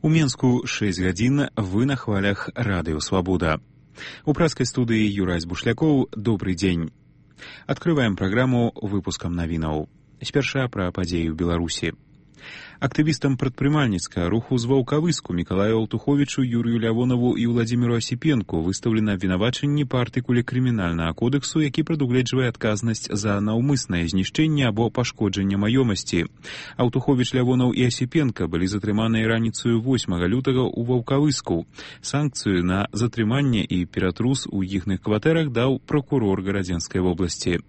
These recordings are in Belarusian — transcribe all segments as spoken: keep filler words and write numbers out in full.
У Менску шесть гадзін, вы на хвалях радыё «Свабода». У праскай студыі Юрась Бушлякоў, добрый дзень. Открываем праграму выпускам навінаў. Спярша пра падзеі ў Беларусі. Актывістам прадпрымальніцкага руху з Ваўкавыску Мікалаю Алтуховічу, Юрыю Лявонаву і Владзіміру Асіпенку выстаўлена абвінавачанні па артыкуле крымінальнага кодексу, які прадугледжвае адказнасць за наўмыснае знішчэнне або пашкоджанне маёмасці. Алтуховіч, Лявонаў і Асіпенка былі затрыманыя раніцаю восьмага лютага ў Ваўкавыску. Санкцыю на затрыманне і ператрус у іхных кватэрах даў пракурор Гарадзенскай вобласці.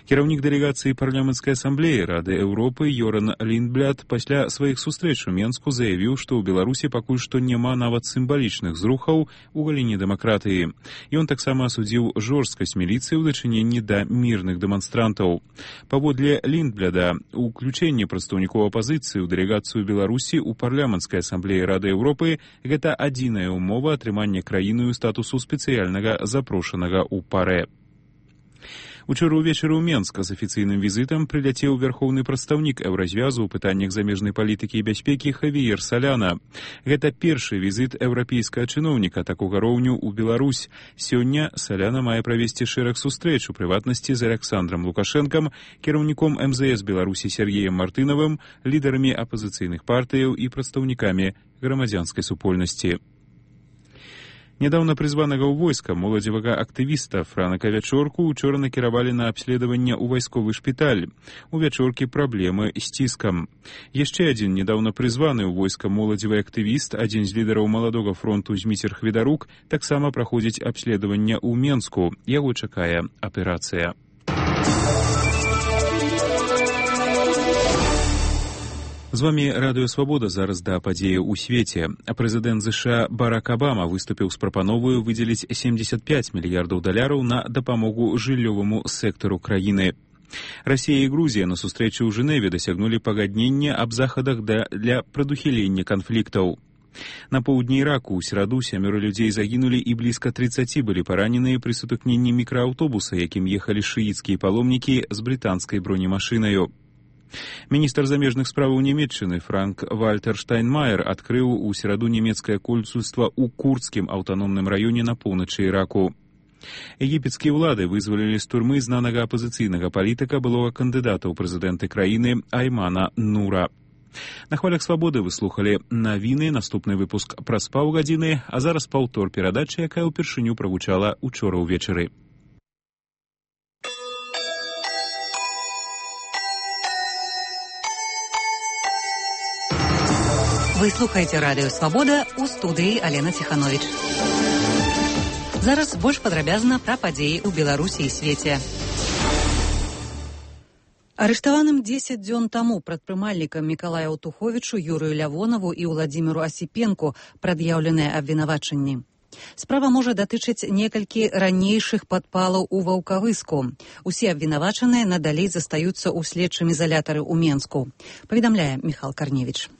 Кіраўнік дэлегацыі парламенцкай асамблеі Рады Еўропы Йоран Ліндбляд пасля сваіх сустрэч у Менску заявіў, што ў Беларусі пакуль што няма нават сімвалічных зрухаў у галіне дэмакратыі. Ён таксама асудзіў жорсткасць міліцыі ў дачыненні да мірных дэманстрантаў. Паводле Ліндбляда, уключэнне прадстаўнікоў апазіцыі ў дэлегацыю Беларусі ў парламенцкай асамблеі Рады Еўропы – гэта адзіная ўмова атрымання краіною статусу спецыяльнага запрошанага ў парэ. Учора ўвечары ў Менск з афіцыйным візітам прыляцеў вярхоўны прадстаўнік еўразвязу ў пытаннях замежнай палітыкі і бяспекі Хавіер Саляна. Гэта першы візіт еўрапейскага чыноўніка такога роўню ў Беларусь. Сёння Саляна мае правесці шэраг сустрэч, у прыватнасці з Аляксандрам Лукашэнкам, кіраўніком эм зэ эс Беларусі Сергеем Мартынавым, лідарамі апазіцыйных партыяў і прадстаўнікамі грамадзянскай супольнасці. Нядаўна прызванага ў войска моладзевага актывіста Франака Вячорку учора накіравалі на абследаванне ў вайсковы шпіталь. У Вячоркі праблемы з ціскам. Яшчэ адзін нядаўна прызваны ў войска моладзевы актывіст, адзін з лідараў маладога фронту Зміцер Хведарук, таксама праходзіць абследаванне ў Менску. Яго чакае аперацыя. З вами радыё «Свабода», зараз да падзеі ў свеце. Прэзідэнт ЗША Барак Абама выступіў з прапановаю выдзеліць семьдесят пять мільярдаў даляраў на дапамогу жыллёваму сектару краіны. Расія і Грузія на сустрэчы ў Жэневе дасягнулі пагаднення аб захадах для прадухілення канфліктаў. На поўдні Іраку ў сераду сямёра людзей загінулі і блізка трыццаці былі параненыя пры сутыкненні мікрааўтобуса, якім ехалі шыіцкія паломнікі з брытанскай бронемашынаю. Міністр замежных справаў Нямецчыны Франк Вальтер Штайнмаер адкрыў у сераду нямецкае консульства ў курдскім аўтаномным раёне на поўначы Іраку. Егіпецкія ўлады вызвалілі з турмы знанага апазіцыйнага палітыка, былога кандыдата ў прэзідэнты краіны Аймана Нура. На хвалях «Свабоды» вы слухалі навіны, наступны выпуск праз паўгадзіны, а зараз паўтор перадачы, якая ўпершыню прагучала учора ўвечары. Вы слухаеце радыё «Свабода», у студыі Алена Ціхановіч. Зараз больш падрабязна пра падзеі ў Беларусі і свеце. Арыштаваным дзесяць дзён таму прадпрымальнікам Мікалаю Алтуховічу, Юрыю Лявонаву і Владзіміру Асіпенку прад'яўленыя абвінавачанні. Справа можа датычыць некалькі ранейшых падпалаў у Ваўкавыску. Усе абвінавачаныя надалей застаюцца ў следчым изалятары ў Менску. Паведамляе Міхал Карневіч.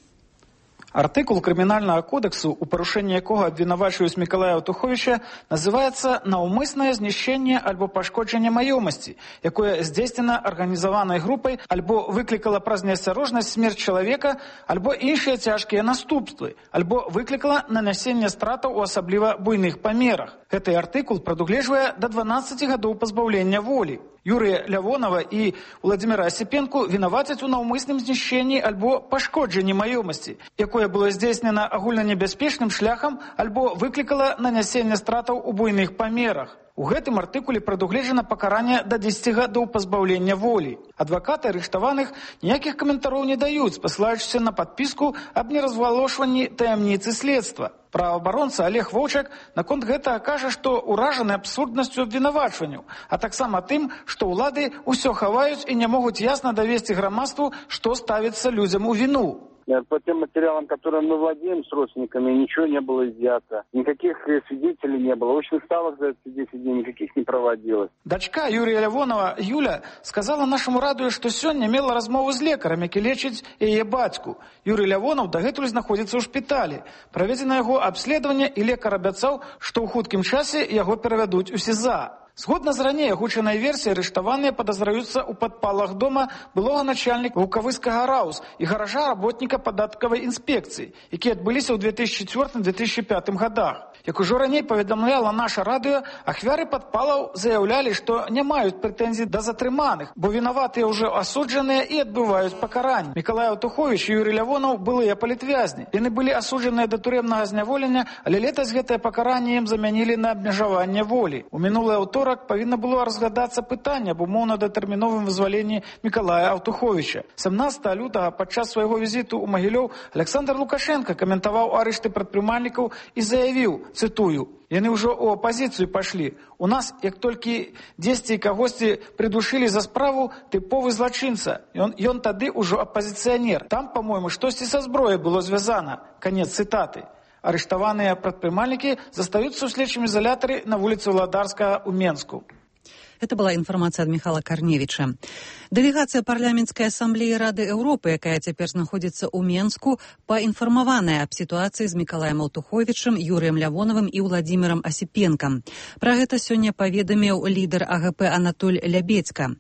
Артыкул крымінальнага кодексу, у парушэнні якога абвінавачваюць Мікалая Алтуховіча, называецца «наўмыснае знішчэнне альбо пашкоджанне маёмасці», якое здзейснена арганізаванай групай альбо выклікала праз неасцярожнасць смерць чалавека, альбо іншыя цяжкія наступствы, альбо выклікала нанясенне стратаў у асабліва буйных памерах. Гэты артыкул прадугледжвае да дванаццаці гадоў пазбаўлення волі. Юрыя Лявонава і Владзіміра Асіпенку вінавацяць у наўмысным знішчэнні альбо пашкоджанні маёмасці, якое было здзейснена агульнанебяспечным шляхам альбо выклікала нанясенне стратаў у буйных памерах. У гэтым артыкуле прадугледжана пакаранне да дзесяці гадоў пазбаўлення волі. Адвакаты арыштаваных ніякіх каментароў не даюць, пасылаючыся на падпіску аб неразвалошванні таямніцы следства. Праваабаронца Олег Воўчак наконт гэтага кажа, што ўражаны абсурднасцю абвінавачванняў, а таксама тым, што ўлады ўсё хаваюць і не могуць ясна давесці грамадству, што ставіцца людзям у віну. По тем материалам, которые мы владеем с родственниками, ничего не было изъято. Никаких свидетелей не было. Очных ставок за эти десять дней никаких не проводилось. Дачка Юрия Лявонова, Юля, сказала нашему радыё, што сёння мела размову з лекарам, які лечыць яе бацьку. Юрий Лявонов дагэтуль знаходзіцца ў шпіталі. Праведзена яго абследаванне, і лекар абяцаў, што ў хуткім часе яго перавядуць у СІЗА. Згодна з раней агучанай версіяй, арыштаваныя падазраюцца ў падпалах дома былога начальніка Вулкавыскага РАУС і гаража работніка падаткавай інспекцыі, якія адбыліся ў две тысячи четвёртым — две тысячи пятым гадах. Як ужо раней паведамляла наша радыё, ахвяры падпалаў заяўлялі, што не маюць прэтэнзій да затрыманых, бо вінаватыя ўжо асуджаныя і адбываюць пакаранне. Мікалай Аўтуховіч і Юрый Лявонаў былыя палітвязні. Яны былі асуджаныя да турэмнага зняволення, але летась гэтае пакаранне ім замянілі на абмежаванне волі. У мінулы аўторак павінна было разглядацца пытанне аб умоўна-датэрміновым вызваленні Мікалая Аўтуховіча. сямнадцатага лютага падчас свайго візіту ў Магілёў Александр Лукашенко каментаваў арышты прадпрымальнікаў і заявіў, цытую: «Яны ўжо ў апазіцыю пашлі. У нас, як толькі дзесьці кагосьці придушылі за справу, тыповы злачынца. Ён, ён тады ўжо апазіцыянер. Там, па-мойму, штосьці са зброяй было звязана». Канец цытаты. Арыштаваныя прадпрымальнікі застаюцца ў следчым изолятары на вуліцы Владарскага ў Менску. Это была информация от Михаила Корневича. Делегация парламентской ассамблеи Рады Европы, якая цяпер знаходзіцца ў Менску, паінфармаваная аб сітуацыі з Мікалаем Аўтуховічам, Юрыем Лявонавым і Владзімірам Асіпенкам. Пра гэта сёння паведаміў лідар АГП Анатоль Лябедзька.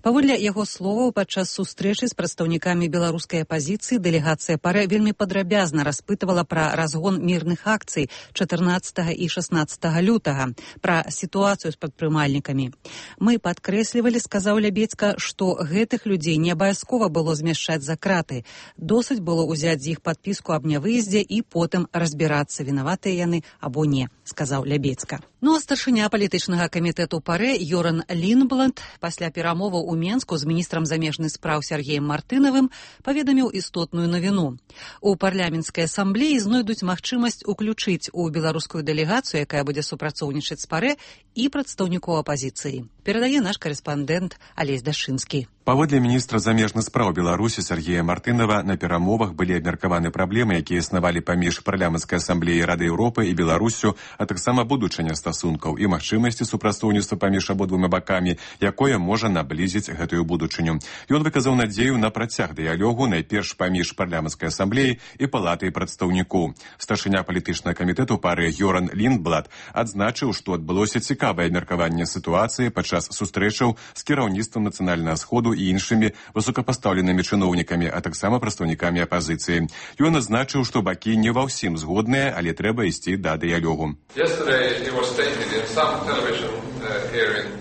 Паводле яго словаў, падчас сустрэчы з прадстаўнікамі беларускай апазіцыі дэлегацыя ПАРЭ вельмі падрабязна распытывала пра разгон мірных акцый чатырнаццатага і шаснаццатага лютага, пра сітуацыю з прадпрымальнікамі. Мы падкрэслівалі, сказаў Лябедзька, што гэтых людзей не абавязкова было змяшчаць за краты. Досыць было ўзяць з іх падпіску аб нявыездзе і потым разбірацца, вінаватыя яны або не, сказаў Лябедзька. Ну а старшыня палітычнага камітэту ПАРЭ Йоран Лінбланд пасля перамоваў у Менску з міністрам замежных спраў Сергеем Мартынавым паведаміў істотную навіну. У парламенцкай асамблеі знойдуць магчымасць уключыць у беларускую дэлегацыю, якая будзе супрацоўнічаць з ПАРЭ, і прадстаўнікоў апазіцыі. Перадае наш карэспандэнт Алесь Дашынскі. Паводле міністра замежных спраў Беларусі Сергея Мартынава, на перамовах былі абмеркаваны праблемы, якія існавалі паміж парламенцкай асамблеяй Рады Еўропы і Беларусю, а таксама будучыня стасункаў і магчымасці супрацоўніцтва паміж абодвума бакамі, якое можа наблізіць гэтую будучыню. Ён выказаў надзею на працяг дыялогу найперш паміж парламенцкай асамблеяй і палатай прадстаўнікоў. Старшыня палітычнага камітэту ПАРЭ Йоран Лінбланд адзначыў, што адбылося цікавае абмеркаванне сітуацыі падчас сустрэчаў з кіраўніцтвам нацыянальнага сходу і іншымі высокапастаўленымі чыноўнікамі, а таксама прадстаўнікамі апазіцыі. Ён адзначыў, што бакі не ва ўсім згодныя, але трэба ісці да дыялогу.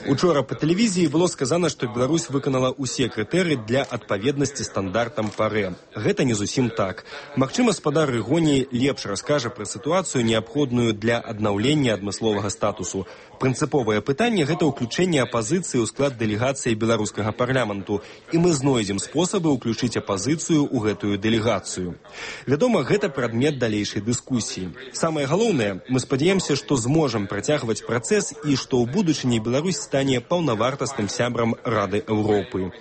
Учора па тэлевізіі было сказана, што Беларусь выканала ўсе крытэрыі для адпаведнасці стандартам ПАРЭ. Гэта не зусім так. Магчыма, спадар Рыгоній лепш раскажа пра сітуацыю, неабходную для аднаўлення адмысловага статусу. Прынцыповае пытанне – гэта ўключэнне апазіцыі ў склад дэлегацыі беларускага парламенту, і мы знойдзем спосабы ўключыць апазіцыю ў гэтую дэлегацыю. Вядома, гэта прадмет далейшай дыскусіі. Самае галоўнае, мы спадзяемся, што зможам працягваць працэс і што ў будучыні Беларусь стане паўнавартасным сябрам Рады Еўропы.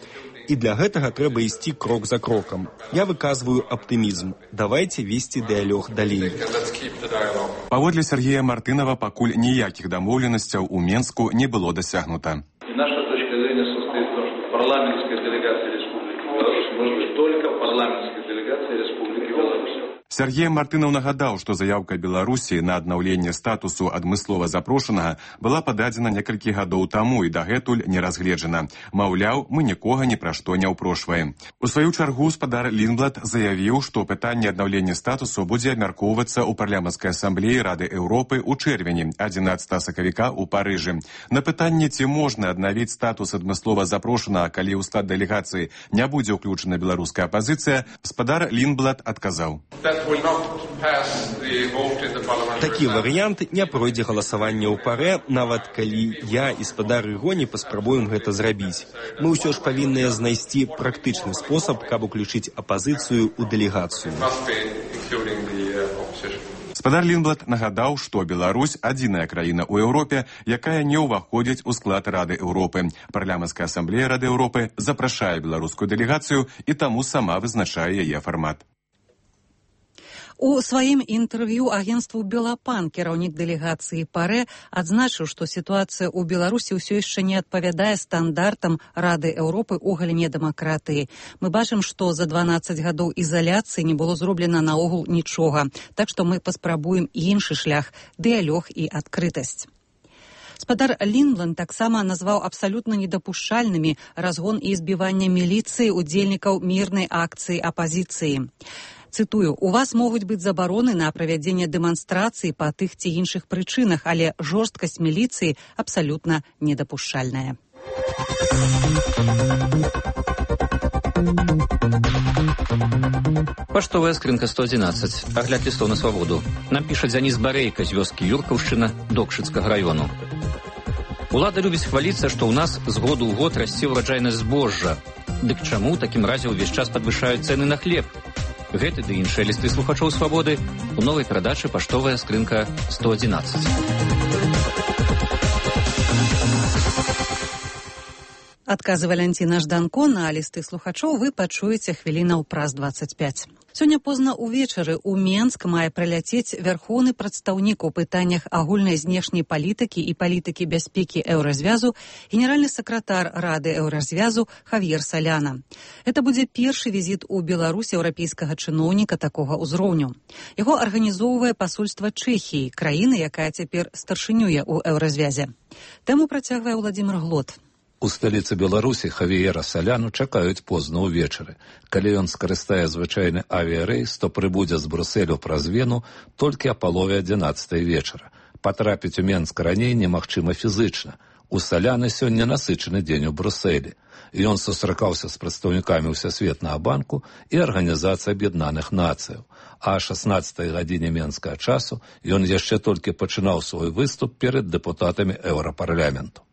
І для гэтага трэба ісці крок за крокам. Я выказваю аптымізм. Давайце весці дыялог далей. Паводле Сергея Мартынава, пакуль ніякіх дамоўленасцяў у Менску не было дасягнута. Наша точка зрения состоит в том, что парламентская делегация Республики Беларусь может быть только парламентской делегацией Республики Беларусь. Сергей Мартынаў нагадаў, што заяўка Беларусі на аднаўленне статусу адмыслова запрошанага была пададзена некалькі гадоў таму і дагэтуль не разгледжана. Маўляў, мы нікога ні пра што не ўпрошваем. У сваю чаргу спадар Лінбланд заявіў, што пытанне аднаўлення статусу будзе абмяркоўвацца ў парламенцкай асамблеі Рады Еўропы ў чэрвені, адзінаццатага сакавіка ў Парыжы. На пытанне, ці можна аднавіць статус адмыслова запрошанага, калі ў склад дэлегацыі не будзе ўключана беларуская апазіцыя, спадар Лінбланд адказаў. Такі варыянт не пройдзе галасаванне ў ПАРЭ, нават калі я і спадар Рыгоній паспрабуем гэта зрабіць. Мы ўсё ж павінны знайсці практычны спосаб, каб уключыць апазіцыю ў дэлегацыю. Спадар Лінбланд нагадаў, што Беларусь адзіная краіна ў Еўропе, якая не ўваходзіць у склад Рады Еўропы. Парламенцкая асамблея Рады Еўропы запрашае беларускую дэлегацыю і таму сама вызначае яе фармат. У сваім інтэрв'ю агенству «Белапан» кіраўнік дэлегацыі ПАРЭ адзначыў, што сітуацыя ў Беларусі ўсё яшчэ не адпавядае стандартам Рады Еўропы ў галіне дэмакратыі. Мы бачым, што за дванаццаць гадоў ізаляцыі не было зроблена наогул нічога. Так што мы паспрабуем іншы шлях – дыялог і адкрытасць. Спадар Лінбланд таксама назваў абсалютна недапушчальнымі разгон і збіванне міліцыі удзельнікаў мірнай акцыі апазіцыі. Цытую, у вас могуць быць забароны на правядзенне дэманстрацыі па тых ці іншых прычынах, але жорсткасць міліцыі абсалютна недапушчальная. Паштовая скрынка сто адзінаццаць. Агляд лістоў на свабоду. Нам піша Дзяніс Барейка з вёскі Юркаўшчына Докшыцкага раёну. Улада любіць хваліцца, што ў нас з году ў год расце ўраджайнасць збожжа. Дык чаму ў такім разе ўвесь час падвышаюць цэны на хлеб? Гэты ды іншыя лісты слухачоў свабоды у новай перадачы паштовая скрынка сто адзінаццаць. Адказы Валянціна Жданко на лісты слухачоў вы пачуеце хвілінаў праз дваццаць пяць. Сёння позна ўвечары ў Менск мае прыляцець вярхоўны прадстаўнік у пытаннях агульнай знешняй палітыкі і палітыкі бяспекі Еўразвязу, генеральны сакратар Рады Еўразвязу Хавьер Соляна. Это будзе першы візіт у Беларусь еўрапейскага чыноўніка такога ўзроўню. Яго арганізоўвае пасольства Чэхіі, краіны, якая цяпер старшынюе ў Еўразвязе. Тэму працягвае Владзімир Глот. У сталіцы Беларусі Хавіера Соляну чакаюць позна ўвечары. Калі ён скарыстае звычайны авіярэйс, то прыбудзе з Брусэлю праз Вену толькі а палове адзінаццатай вечара. Патрапіць у Менск раней немагчыма фізычна. У Соляны сёння насычаны дзень у Брусэлі. Ён сустракаўся з прадстаўнікамі Ўсесветнага банку і Арганізацыі Аб'яднаных Нацыяў. А о шаснаццатай гадзіне менскага часу ён яшчэ толькі пачынаў свой выступ перад дэпутатамі Еўрапарламенту.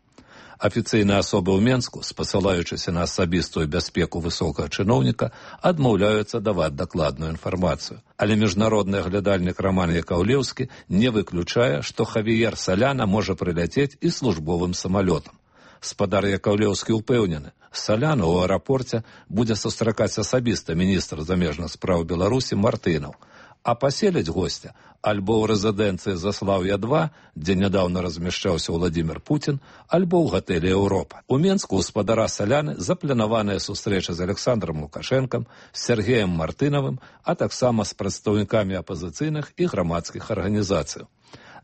Афіцыйныя асобы ў Менску, спасылаючыся на асабістую бяспеку высокага чыноўніка, адмаўляюцца даваць дакладную інфармацыю. Але міжнародны аглядальнік Роман Якаўлеўскі не выключае, што Хавіер Соляна можа прыляцець і службовым самалётам. Спадар Якаўлеўскі ўпэўнены, Соляна ў аэрапорце будзе сустракаць асабіста міністр замежных спраў Беларусі Мартынаў, а паселяць госця альбо ў рэзідэнцыі Заслаўя два, дзе нядаўна размяшчаўся Владзімир Путін, альбо ў гатэлі Еўропа. У Менску ў спадара Соляны запланаваная сустрэча з Александром Лукашэнкам, з Сергеем Мартынавым, а таксама з прадстаўнікамі апазіцыйных і грамадскіх арганізацый.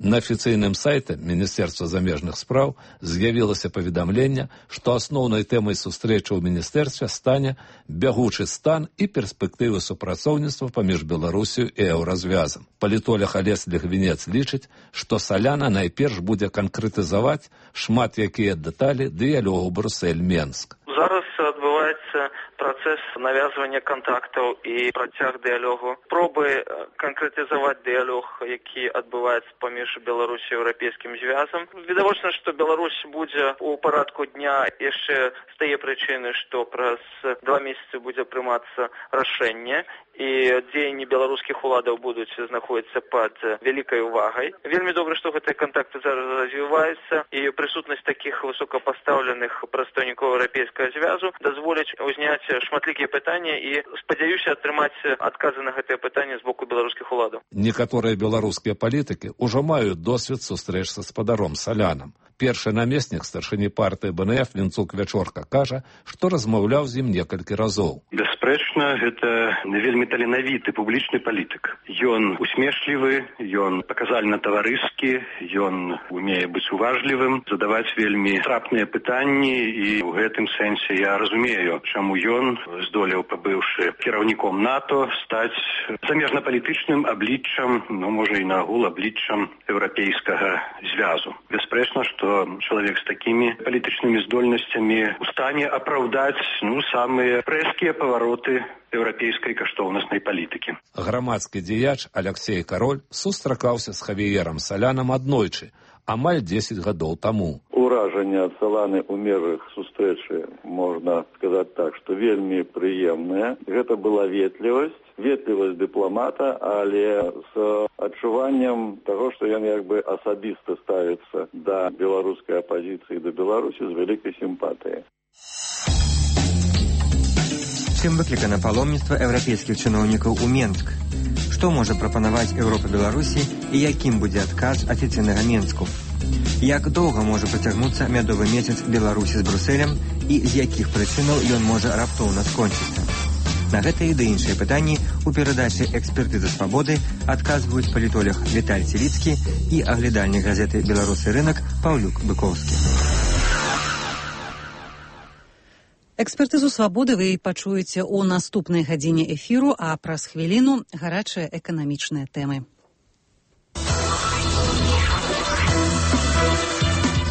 На афіцыйным сайце Міністэрства замежных спраў з'явілася паведамленне, што асноўнай тэмай сустрэчы ў міністэрстве стане бягучы стан і перспектывы супрацоўніцтва паміж Беларусію і Еўразвязам. Палітолог Алесь Лігвінец лічыць, што Соляна найперш будзе канкрэтызаваць шмат якія дэталі дыялогу Брусэль-Менск. Зараз адбываецца працэс навязвання кантактаў і працяг дыялогу, пробы канкрэтызаваць дыялог, які адбываецца паміж Беларусі і Еўрапейскім звязам. Відавочна, што Беларусь будзе ў парадку дня яшчэ з тае прычыны, што праз два месяцы будзе прымацца рашэнне, і дзеянні беларускіх уладаў будуць знаходзіцца пад вялікай увагай. Вельмі добра, што гэтыя кантакты зараз развіваюцца, і прысутнасць такіх высокапастаўленых прадстаўнікоў Еўрапейскага звязу дазволіць узняць шматлікія пытанні і спадзяюся атрымаць адказы на гэтыя пытанні з боку беларускіх уладаў. Некаторыя беларускія палітыкі ўжо маюць досвед сустрэч са спадаром Солянам. Першы намеснік старшыні партыі Бэ Эн Эф Вінцук Вячорка кажа, што размаўляў з ім некалькі разоў. Бясспрэчна, гэта вельмі таленавіты публічны палітык. Ён усмешлівы, ён паказальна таварыскі, ён умее быць уважлівым, задаваць вельмі трапныя пытанні, і ў гэтым сэнсе я разумею, чаму ён здолеў, пабыўшы кіраўніком НАТО, стаць замежнапалітычным абліччам, ну, можа і нагул абліччам Еўрапейскага звязу. Бясспрэчна, што чалавек з такімі палітычнымі здольнасцямі у стане апраўдаць ну, самыя рэзкія павароты еўрапейскай каштоўнаснай палітыкі. Грамадскі дзеяч Аляксей Кароль сустракаўся з Хавіерам Солянам аднойчы, амаль дзесяць гадоў таму. Уражанне ад Соланы ў межах сустрэчы, можна сказаць так, што вельмі прыемнае. Гэта была ветлівасць, ветлівасць дыпламата, але з адчуваннем таго, што ён як бы асабіста ставіцца да беларускай апазіцыі, да Беларусі з вялікай сімпатыяй. Чым выклікана паломніцтва еўрапейскіх чыноўнікаў у Менск? Што можа прапанаваць Еўропа Беларусі і якім будзе адказ афіцыйнага Менску? Як доўга можа працягнуцца мядовы месяц Беларусі з Брусэлем і з якіх прычынаў ён можа раптоўна скончыцца? На гэтыя ды іншыя пытанні у перадачы «Экспертыза свабоды» адказваюць палітолог Віталь Целіцкі і аглядальнік газеты «Беларусы рынак» Паўлюк Быковскі. Экспертызу свабоды вы пачуеце ў наступнай гадзіне эфіру, а праз хвіліну гарачыя эканамічныя тэмы.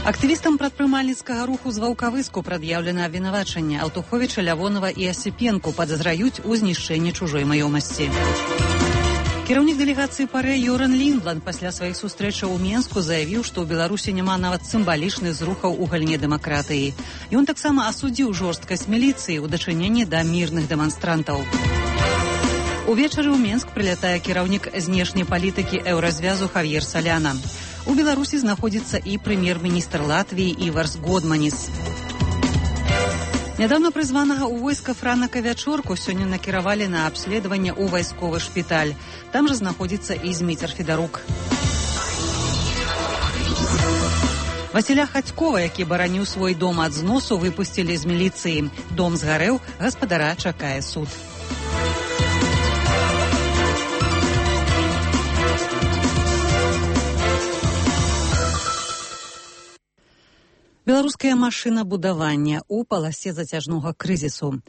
Актывістам прадпрымальніцкага руху з Ваўкавыску прад'яўлена абвінавачанне. Аўтуховіча, Лявонава і Асіпенку падазраюць у знішчэнні чужой маёмасці. Кіраўнік дэлегацыі ПАРЭ Йоран Ліндланд пасля сваіх сустрэчаў у Менску заявіў, што ў Беларусі няма нават сімвалічных зрухаў у галіне дэмакратыі. Ён таксама асудзіў жорсткасць міліцыі ў дачыненні да мірных дэманстрантаў. Увечары ў Менск прылятае кіраўнік знешняй палітыкі еўразвязу Хавьер Саляна. У Беларусі знаходзіцца і прэм'ер-міністр Латвіі Іварс Годманіс. Нядаўна прызванага ў войска Франака Вячорку сёння накіравалі на абследаванне ў вайсковы шпіталь. Там жа знаходзіцца і Зміцер Федарук. Васіля Хацькова, які бараніў свой дом ад зносу, выпусцілі з міліцыі. Дом згарэў, гаспадара чакае суд. Беларускае машынабудаванне ў паласе зацяжнога крызісу.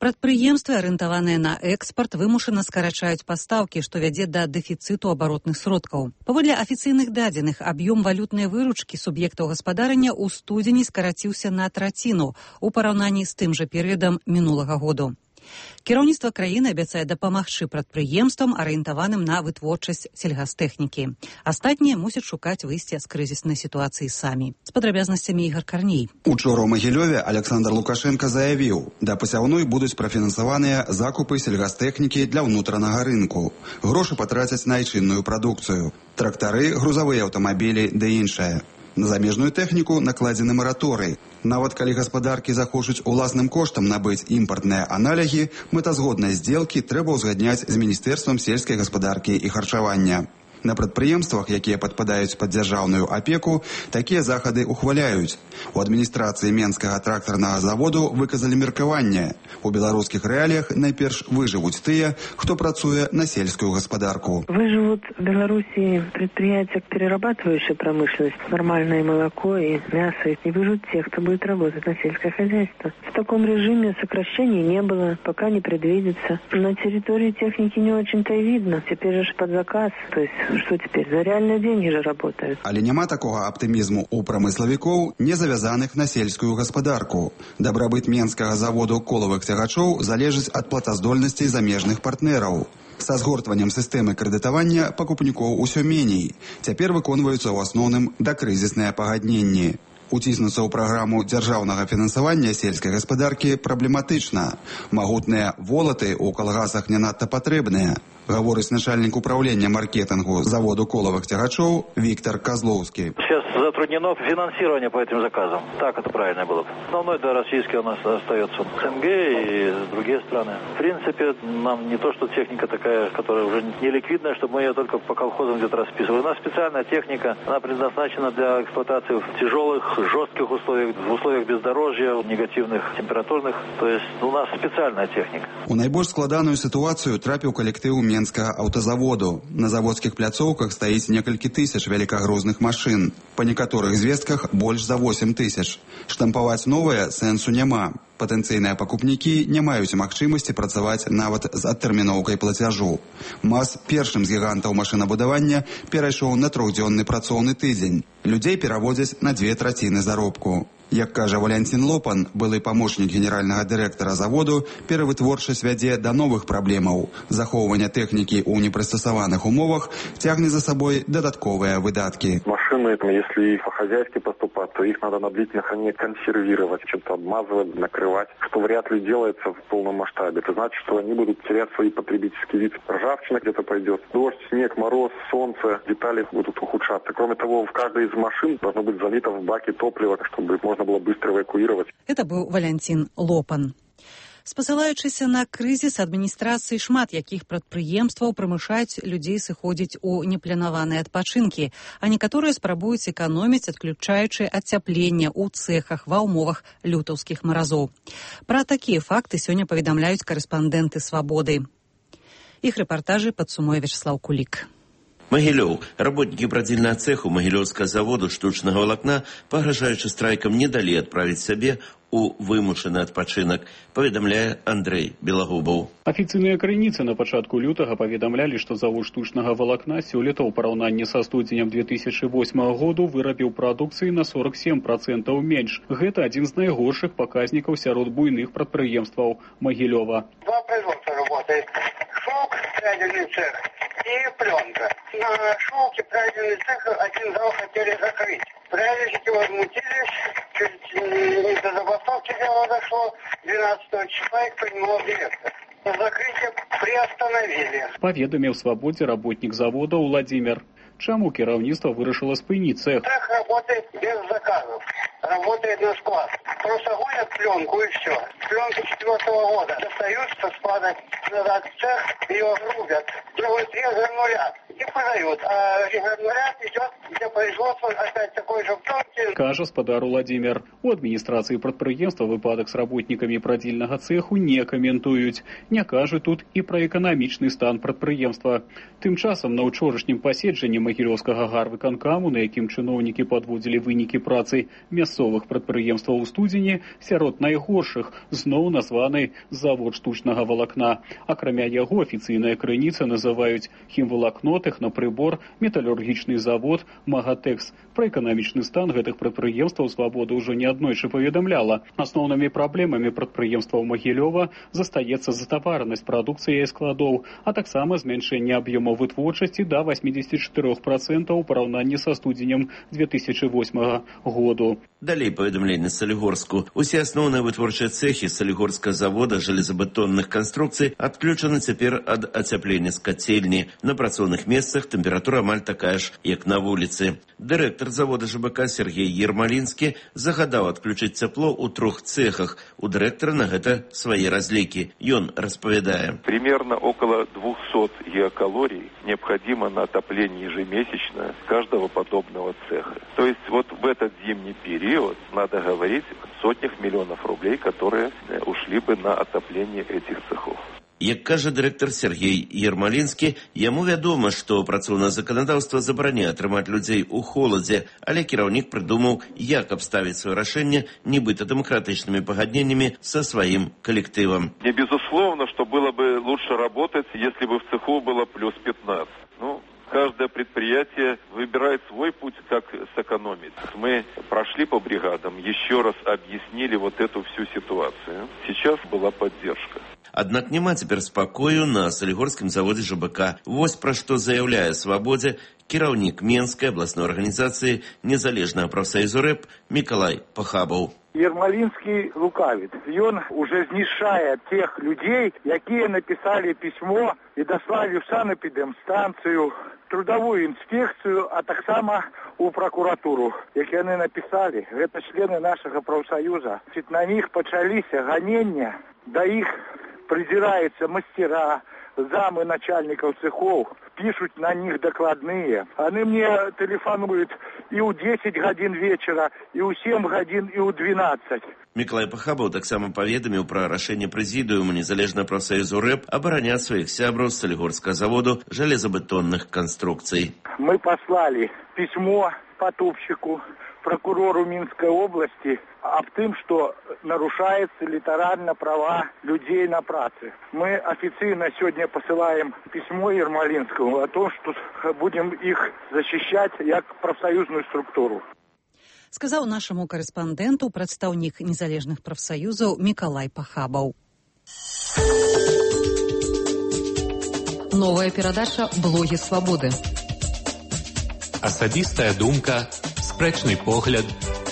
Прадпрыемствы, арыентаваныя на экспарт, вымушана скарачаюць пастаўкі, што вядзе да дэфіцыту абаротных сродкаў. Паводле афіцыйных дадзеных, аб'ём валютнай выручкі суб'ектаў гаспадарання ў студзені скараціўся на траціну ў параўнанні з тым жа перыядам мінулага году. Кіраўніцтва краіны абяцае дапамагчы прадпрыемствам, арыентаваным на вытворчасць сельгастэхнікі. Астатнія мусяць шукаць выйсце з крызіснай сітуацыі самі. З падрабязнасцямі Ігар Карней. Учора ў Магілёве Александр Лукашенко заявіў, да пасяўной будуць прафінансаваныя закупы сельгастэхнікі для ўнутранага рынку. Грошы патрацяць на айчынную прадукцыю. Трактары, грузавыя аўтамабілі ды іншае. На замежную тэхніку накладзены мараторый. Нават калі гаспадаркі захочуць уласным коштам набыць імпартныя аналігі, мэтазгодныя здзелкі трэба ўзгадняць з Міністэрствам сельскай гаспадаркі і харчавання. На прадпрыемствах, якія падпадаюць пад дзяржаўную апеку, такія захады ухваляюць. У адміністрацыі Менскага трактарнага заводу выказалі меркаванне. У беларускіх рэаліях найперш выжывуць тыя, хто працуе на сельскую гаспадарку. Выживут в Беларуси предприятия, перерабатывающие промышленность, нормальное молоко и мясо, и выживут те, кто будет работать на сельское хозяйство. В таком режиме сокращений не было, пока не предвидится. На территории техники не очень-то и видно. Теперь же под заказ, то есть что теперь? За реальные деньги же работают. Але няма такога аптымізму у прамыславікоў, не завязаных на сельскую гаспадарку. Дабрабыт Менскага заводу колавых цягачоў залежыць ад платаздольнасцей замежных партнераў. Са згортваннем сістэмы крэдытавання пакупнікоў усё меней. Цяпер выконваюцца ў асноўным дакрызісныя пагадненні. Уціснуцца ў праграму дзяржаўнага фінансавання сельскай гаспадаркі праблематычна. Магутныя волаты ў калгасах не надта патрэбныя, гаворыць начальнік управлення маркетингу заводу коловых тягачоў Виктор Козловский. Сейчас затруднено финансирование по этим заказам. Так это правильно было бы. Основной, да, российский у нас остается СНГ и другие страны. В принципе, нам не то, что техника такая, которая уже не ликвидная, чтобы мы ее только по колхозам где-то расписывали. У нас специальная техника, она предназначена для эксплуатации в тяжелых, жестких условиях, в условиях бездорожья, негативных, температурных. То есть у нас специальная техника. У найбольш складаную ситуацию трапіў калектыў Менскага аўтазаводу. На заводскіх пляцоўках стаіць некалькі тысяч вялікагрузных машын. Па некаторых звестках больш за восемь тысяч. Штампаваць новае сэнсу няма. Патэнцыйныя пакупнікі не маюць магчымасці працаваць нават з адтэрміноўкай плацяжу. МАЗ першым з гігантаў машынабудавання перайшоў на трохдзённы працоўны тыдзень. Людзей пераводзяць на дзве траціны заробку. Як кажа Валянцін Лопан, былы памочнік генеральнага дырэктара заводу, перавытворчасць вядзе да новых праблемаў. Захоўванне тэхнікі ў непрыстасаваных умовах цягне за собой дадатковыя выдаткі. Машины, если по-хозяйски поступать, то их надо на длительное хранение консервировать, чем-то обмазывать, накрывать, что вряд ли делается в полном масштабе. Это значит, что они будут терять свои потребительские виды. Ржавчина где-то пойдет, дождь, снег, мороз, солнце, детали будут ухудшаться. Кроме того, в каждой из машин должно быть залито в баке топливо, чтобы можно было быстро эвакуировать. Это был Валянцін Лопан. Спасылаючыся на крызіс адміністрацыі шмат якіх прадпрыемстваў прымушаюць людзей сыходзіць у непланаваныя адпачынкі, а некаторыя спрабуюць эканоміць, адключаючы ацяпленне ў цэхах ва ўмовах лютаўскіх маразоў. Пра такія факты сёння паведамляюць карэспандэнты «Свабоды». Іх рэпартажы падсумуе Вячеслав Кулик. Магілёў. Работнікі прадзільнага цэху магілёўскага заводу штучнага валакна, пагражаючы страйкам, не далі адправіць сябе у вымушаны адпачынак, паведамляе Андрэй Белагубаў. Афіцыйныя крыніцы на пачатку лютага паведамлялі, што завод штучнага валакна сёлета ў параўнанні са студзенем две тысячы восьмага году вырабіў прадукцыі на сорок сем процентаў менш. Гэта адзін з найгоршых паказнікаў сярод буйных прадпрыемстваў Магілёва. Два производства работает. Шелк, прядельный цех и пленка. На шелке прядельный цех один зал хотели закрыть. Прядельщики возмутились, чуть не до забастовки дело дошло. двенадцатого числа их принимал директор. Закрытие приостановили. Паведаміў «Свабодзе» работнік завода Владимир. Чаму кіраўніцтва вырашыла спыніць цех? Цех работает без заказов. Работает на склад. Просто гонят пленку и все. Пленку четвертого года достают со склада назад в цех, ее грубят. Делают резгранулят и подают. А резгранулят идет для производства опять такой же пленки. Кажа спадар Владимир. У адміністрацыі прадпрыемства выпадак з работнікамі прадзільнага цеху не каментуюць. Не кажуць тут і пра эканамічны стан прадпрыемства. Тым часам на ўчорашнім паседжанні Магілёўскага гарвыканкаму, на якім чыноўнікі падводзілі вынікі працы мясцовых прадпрыемстваў у студзені, сярод найгоршых зноў названы завод штучнага валакна. Акрамя яго афіцыйныя крыніцы называюць хімвалакно, тэхнапрыбор, металургічны завод, Магатэкс. Пра эканамічны стан гэтых прадпрыемстваў «Свабода» ўжо неаднойчы паведамляла. Асноўнымі праблемамі прадпрыемстваў Магілёва застаецца затаваранасць прадукцыі і складоў, а таксама змяншэнне аб'ёмаў вытворчасці да восемьдесят четыре процента ў параўнанні са студзенем две тысячи восьмага году. Далей паведамленне Салігорску. Усе асноўныя вытворчыя цэхі Салігорскага завода жалезабетонных канструкцый адключаны цяпер ад ацяплення з кацельні. На працоўных месцах тэмпература амаль такая ж, як на вуліцы. Дырэктар завода ЖБК Сергей Ермалінскі загадаў адключыць цяпло ў трох цэхах. У дырэктара на гэта свае разлікі. Ён распавядае. Примерно около двухсот гигакалорий необходимо на отопление ежемесячно каждого подобного цеха. То есть вот в этот зимний период надо говорить о сотнях миллионов рублей, которые ушли бы на отопление этих цехов. Як кажа дырэктар Сергей Ермалінскі, яму вядома, што працоўнае заканадаўства забараняе атрымаць людзей у холадзе, але кіраўнік прыдумаў, як абставіць сваё рашэнне нібыта дэмакратычнымі пагадненнямі са сваім калектывам. Не безусловно, что было бы лучше работать, если бы в цеху было плюс пятнадцать. Ну, каждое предприятие выбирает свой путь, как сэкономить. Мы прошли по бригадам, еще раз объяснили вот эту всю ситуацию. Сейчас была поддержка. Аднак няма цяпер спакою на Салігорскім заводзе ЖБК. Вось пра што заяўляе «Свабодзе» кіраўнік Менскай абласной арганізацыі незалежнага прафсаюзу рэп Мікалай Пахабаў. Ермалінскі лукавіць. Ён уже знішае тех людзей, якія напісалі пісьмо і даслалі ў санэпідэмстанцыю, трудовую інспекцыю, а таксама у прокуратуру, як яны напісалі. Гэта члены нашага прафсаюза. На них пачаліся ганення, да іх придираются мастера, замы начальников цехов, пишут на них докладные. Они мне телефонуют и у десять гадзін вечера, и у семь гадзін, и у двенадцать. Мікалай Пахабаў таксама паведаміў пра рашэнне прэзідыума незалежнага прафсаюзу рэп абараняць сваіх сябраў з Салігорскага заводу жалезабетонных канструкцый. Мы послали письмо потопщику, прокурору Минской области об том, что нарушаются литерально права людей на праце. Мы официально сегодня посылаем письмо Ермалинскому о том, что будем их защищать как профсоюзную структуру. Сказаў нашаму карэспандэнту прадстаўнік незалежных прафсаюзаў Мікалай Пахабаў. Новая перадача «Блогі свабоды». Асабістая думка, спрэчны погляд,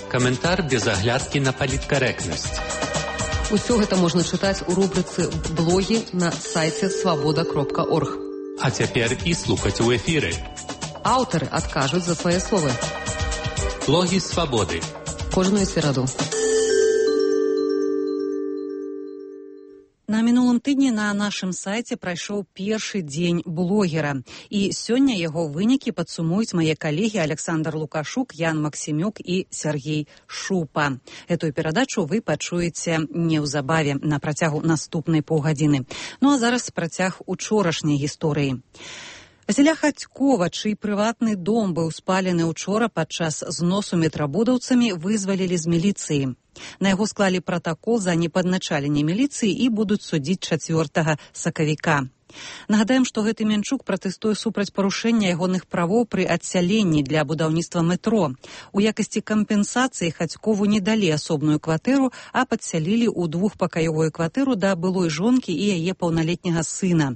каментар без аглядкі на паліткарэктнасць. Усё гэта можна чытаць у рубрыцы «Блогі» на сайце свабода кропка орг. А цяпер і слухаць у эфіры. Аўтары адкажуць за свае словы. Блогі свабоды. Кожную сераду. На мінулым тыдні на нашым сайце прайшоў першы дзень блогера. І сёння яго вынікі падсумуюць мае калегі Александр Лукашук, Ян Максімюк і Сергей Шупа. Этую перадачу вы пачуеце неўзабаве на працягу наступнай паўгадзіны. Ну а зараз працяг учорашняй гісторыі. Васіля Хацькова, чый прыватны дом быў спалены учора падчас зносу метрабудаўцамі, вызвалілі з міліцыі. На яго склалі пратакол за непадначаленне міліцыі і будуць судзіць чацвёртага сакавіка. Нагадаем, што гэты Менчук пратэстуе супраць парушэння ягоных правоў пры адсяленні для будаўніцтва метро. У якасці кампенсацыі Хацькову не далі асобную кватэру, а падсялілі ў двухпакаёвую кватэру да былой жонкі і яе паўналетняга сына.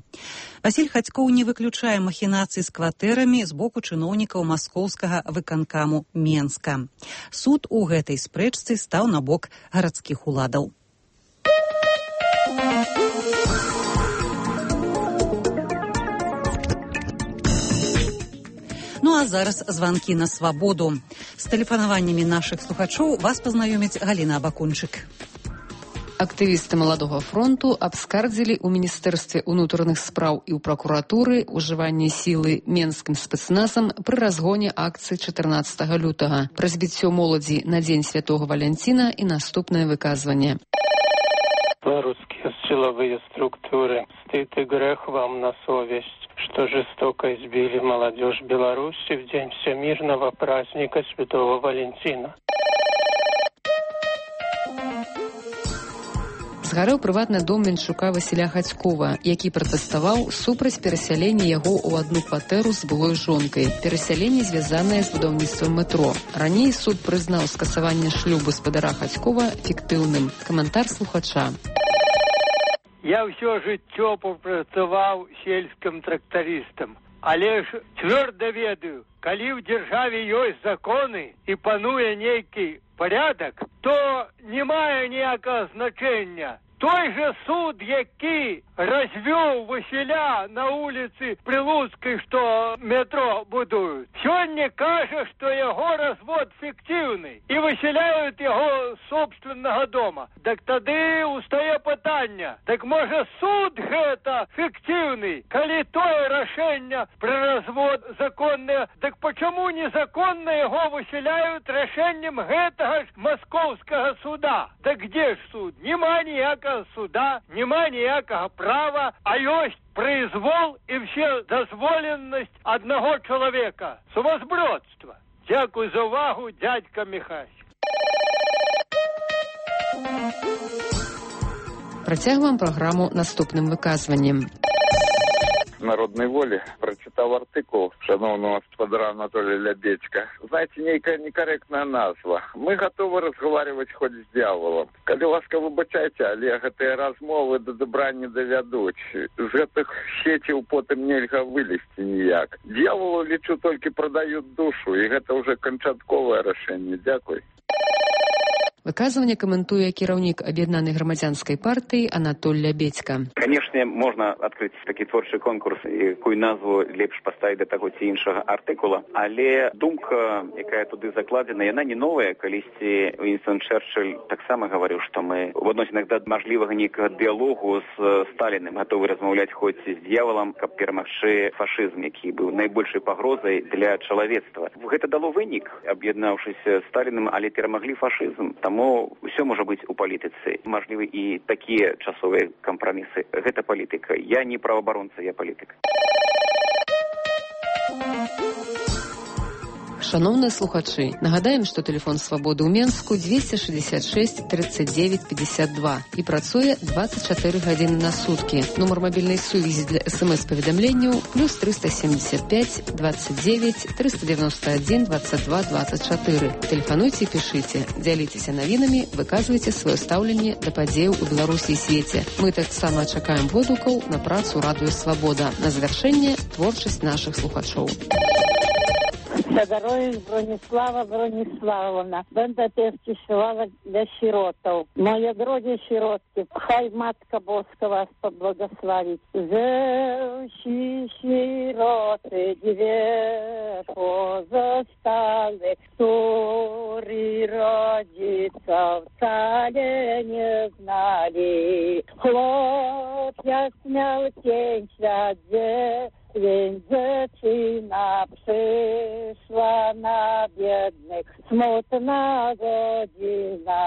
Васіль Хацькоў не выключае махінацый з кватэрамі з боку чыноўнікаў маскоўскага выканкаму Менска. Суд у гэтай спрэчцы стаў на бок гарадскіх уладаў. Ну а зараз званкі на свабоду. З тэлефанаваннямі нашых слухачоў вас пазнаёміць Галіна Абакунчык. Актывісты Маладога фронту абскардзілі ў Міністэрстве ўнутраных спраў і ў пракуратуры ўжыванне сілы менскім спецназам пры разгоне акцыі чатырнаццатага лютага, пра збіццё моладзі на дзень святого Валянціна і наступнае выказванне. Белорусские силовые структуры, стыд и грех вам на совесть, что жестоко избили молодежь Беларуси в день всемирного праздника Святого Валентина. Згарэў прыватны дом Менчука Васіля Хацькова, які пратэставаў супраць перасялення яго ў адну кватэру з былой жонкай. Перасяленне звязанае з будаўніцтвам метро. Раней суд прызнаў скасаванне шлюбу спадара Хацькова фіктыўным. Каментар слухача. Я ўсё жыццё папрацаваў сельскім трактарыстам, але ж цвёрда ведаю, калі ў дзяржаве ёсць законы і пануе нейкі порядок, то не мае ніякага значення. Той же суд, які развёў Васіля на улицы Прилуцкай, што метро будуюць, сёння кажа, што яго развод фіктыўны і высяляюць яго з собственнага дома. Так тады устае пытанне, так можа суд гэта фіктыўны, калі тое рашэнне пра развод законнае, так почему незаконна яго высяляюць рашэннем гэтага ж маскоўскага суда? Так где ж суд? Нема ніякага суда, нема ніякага права, а ёсць произвол і все дазволенасць аднаго чалавека. Сумасбродства. Дзякуй за увагу, дядька Михась. Працягваем праграму наступным выказваннем. Народной воли прочитал артикул шановного господара Анатолия Лябедька. Знаете, некая некорректная назва. Мы готовы разговаривать хоть с дьяволом. Коли ласка выбачайте, але гэтыя размовы до добра не довядуць. З гэтых сетей потым нельга вылезти ніяк. Дьяволу, лічу, только продают душу, и гэта уже канчатковае рашэнне. Дякуй. Выказванне каментуе кіраўнік аб'яднанай грамадзянскай партыі Анатоль Лябедька. Канешне, можна адкрыць такі творчы конкурс, якую назву лепш паставіць да таго ці іншага артыкула, але думка, якая туды закладзена, яна не новая. Калісьці Уінстон Чэрчыль таксама гаварыў, што мы в адносінах да мажлівага нейкага дыялогу з Сталіным гатовы размаўляць хоць з д'яволам, каб перамагчы фашызм, які быў найбольшай пагрозай для чалавецтва. Гэта дало вынік, аб'яднаўшыся з Сталіным, але перамаглі фашызм. Таму ўсё можа быць у палітыцы. Мажлівы і такія часовыя кампрамісы. Гэта палітыка. Я не праваабаронца, я палітык. Шановныя слухачы, нагадаем, што тэлефон свабоды ў Менску дзвесце шэсцьдзесят шэсць тридцать девять пятьдесят два і працуе двадцать чатыры гадзіны на суткі. Нумар мабільнай сувязі для эс-эм-эс-паведамленняў плюс триста семьдесят пять двадцать девять триста девяносто один двадцать два двадцать четыре. Тэлефануйце і пішыце, дзяліцеся навінамі, выказвайце сваё стаўленне да падзеяў у Беларусі і свеце. Мы таксама чакаем водгукаў на працу радыё Свабода. На завяршэнне творчасць нашых слухачоў. Сагарович Бронислава Брониславовна. Będę też śpiewała dla sierotów. Moje drogie sierotki, хай Matka Boska was pobłogosławić. Ze sieroty dwie pozostałe, którzy rodziców wcale nie znali. Chłopia śmiał cień świat, więc dziewczyna przyszła na biednych, smutna godzina.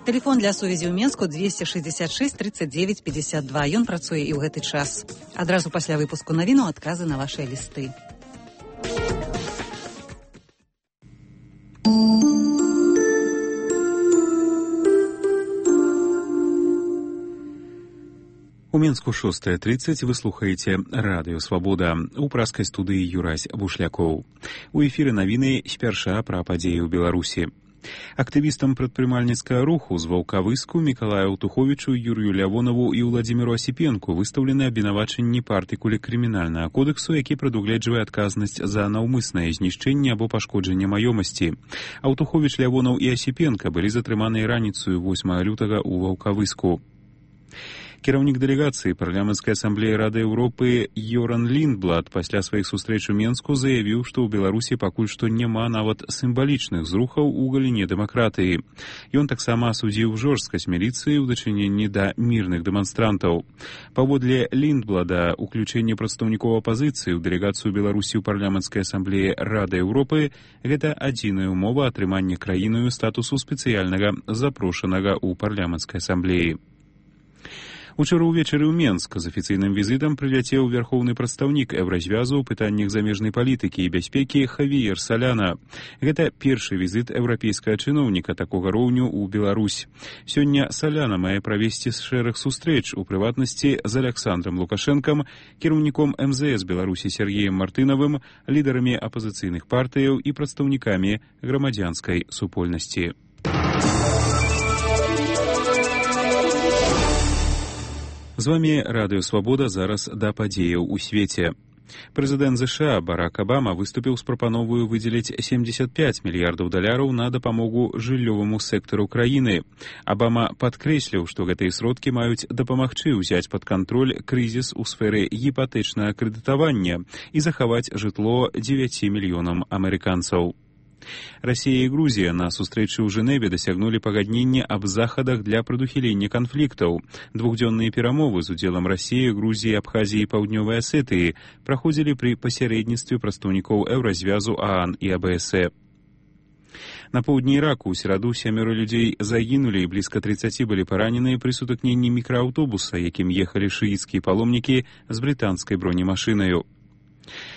Телефон для сувязі ў Менску двести шестьдесят шесть тридцать девять пятьдесят два. Ён працуе і ў гэты час. Адразу пасля выпуску навіну адказы на вашыя лісты. У Менску шостая тридцать вы слухаеце радыё Свабода. У праскай студыі Юрась Бушлякоў. У эфіры навіны спярша пра падзеі ў Беларусі. Актывістам прадпрымальніцкага руху з Ваўкавыску Мікалаю Аўтуховічу, Юрыю Лявонаву і Ўладзіміру Асіпенку выстаўлены абвінавачанні па артыкуле крымінальнага кодексу, які прадугледжвае адказнасць за наўмыснае знішчэнне або пашкоджанне маёмасці. Аўтуховіч, Лявонаў і Асіпенка былі затрыманыя раніцаю восьмага лютага ў Ваўкавыску. Кіраўнік дэлегацыі парламенцкай асамблеі Рады Еўропы Йоран Ліндблад пасля сваіх сустрэч у Менску заявіў, што ў Беларусі пакуль што няма нават сімвалічных зрухаў у галіне дэмакратыі. Ён таксама асудзіў жорсткасць міліцыі ў дачыненні да мірных дэманстрантаў. Паводле Ліндблада, уключэнне прадстаўнікоў апазіцыі ў дэлегацыю Беларусі ў парламенцкай асамблеі Рады Еўропы гэта адзіная ўмова атрымання краінаю статусу спецыяльнага запрошанага ў парламенцкай асамблеі. Учора ўвечары ў Менск з афіцыйным візітам прыляцеў вярхоўны прадстаўнік Еўразвязу ў пытаннях замежнай палітыкі і бяспекі Хавіер Саляна. Гэта першы візіт еўрапейскага чыноўніка такога роўню ў Беларусь. Сёння Саляна мае правесці шэраг сустрэч, у прыватнасці з Аляксандрам Лукашэнкам, кіраўніком эм зэ эс Беларусі Сергеем Мартынавым, лідарамі апазіцыйных партыяў і прадстаўнікамі грамадзянскай супольнасці. З вами Радыё Свабода, зараз да падзеяў у свеце. Прэзідэнт ЗША Барак Абама выступіў з прапановаю выдзеліць семьдесят пять мільярдаў даляраў на дапамогу жыллёваму сектару краіны. Абама падкрэсліў, што гэтыя сродкі маюць дапамагчы ўзяць пад кантроль крызіс у сферы гіпатэчнага крэдытавання і захаваць жытло дзевяці мільёнам амерыканцаў. Расія і Грузія на сустрэчы ў Жэневе дасягнулі пагаднення аб захадах для прадухілення канфліктаў. Двухдзённыя перамовы з удзелам Расіі, Грузіі, Абхазіі і Паўднёвай Асетыі праходзілі пры пасярэдніцтве прадстаўнікоў Еўразвязу, ААН і АБСЭ. На поўдні Іраку ў сераду сямёра людзей загінулі і блізка тридцаці былі параненыя пры сутыкненні мікрааўтобуса, якім ехалі шыіцкія паломнікі з брытанскай бронемашынаю.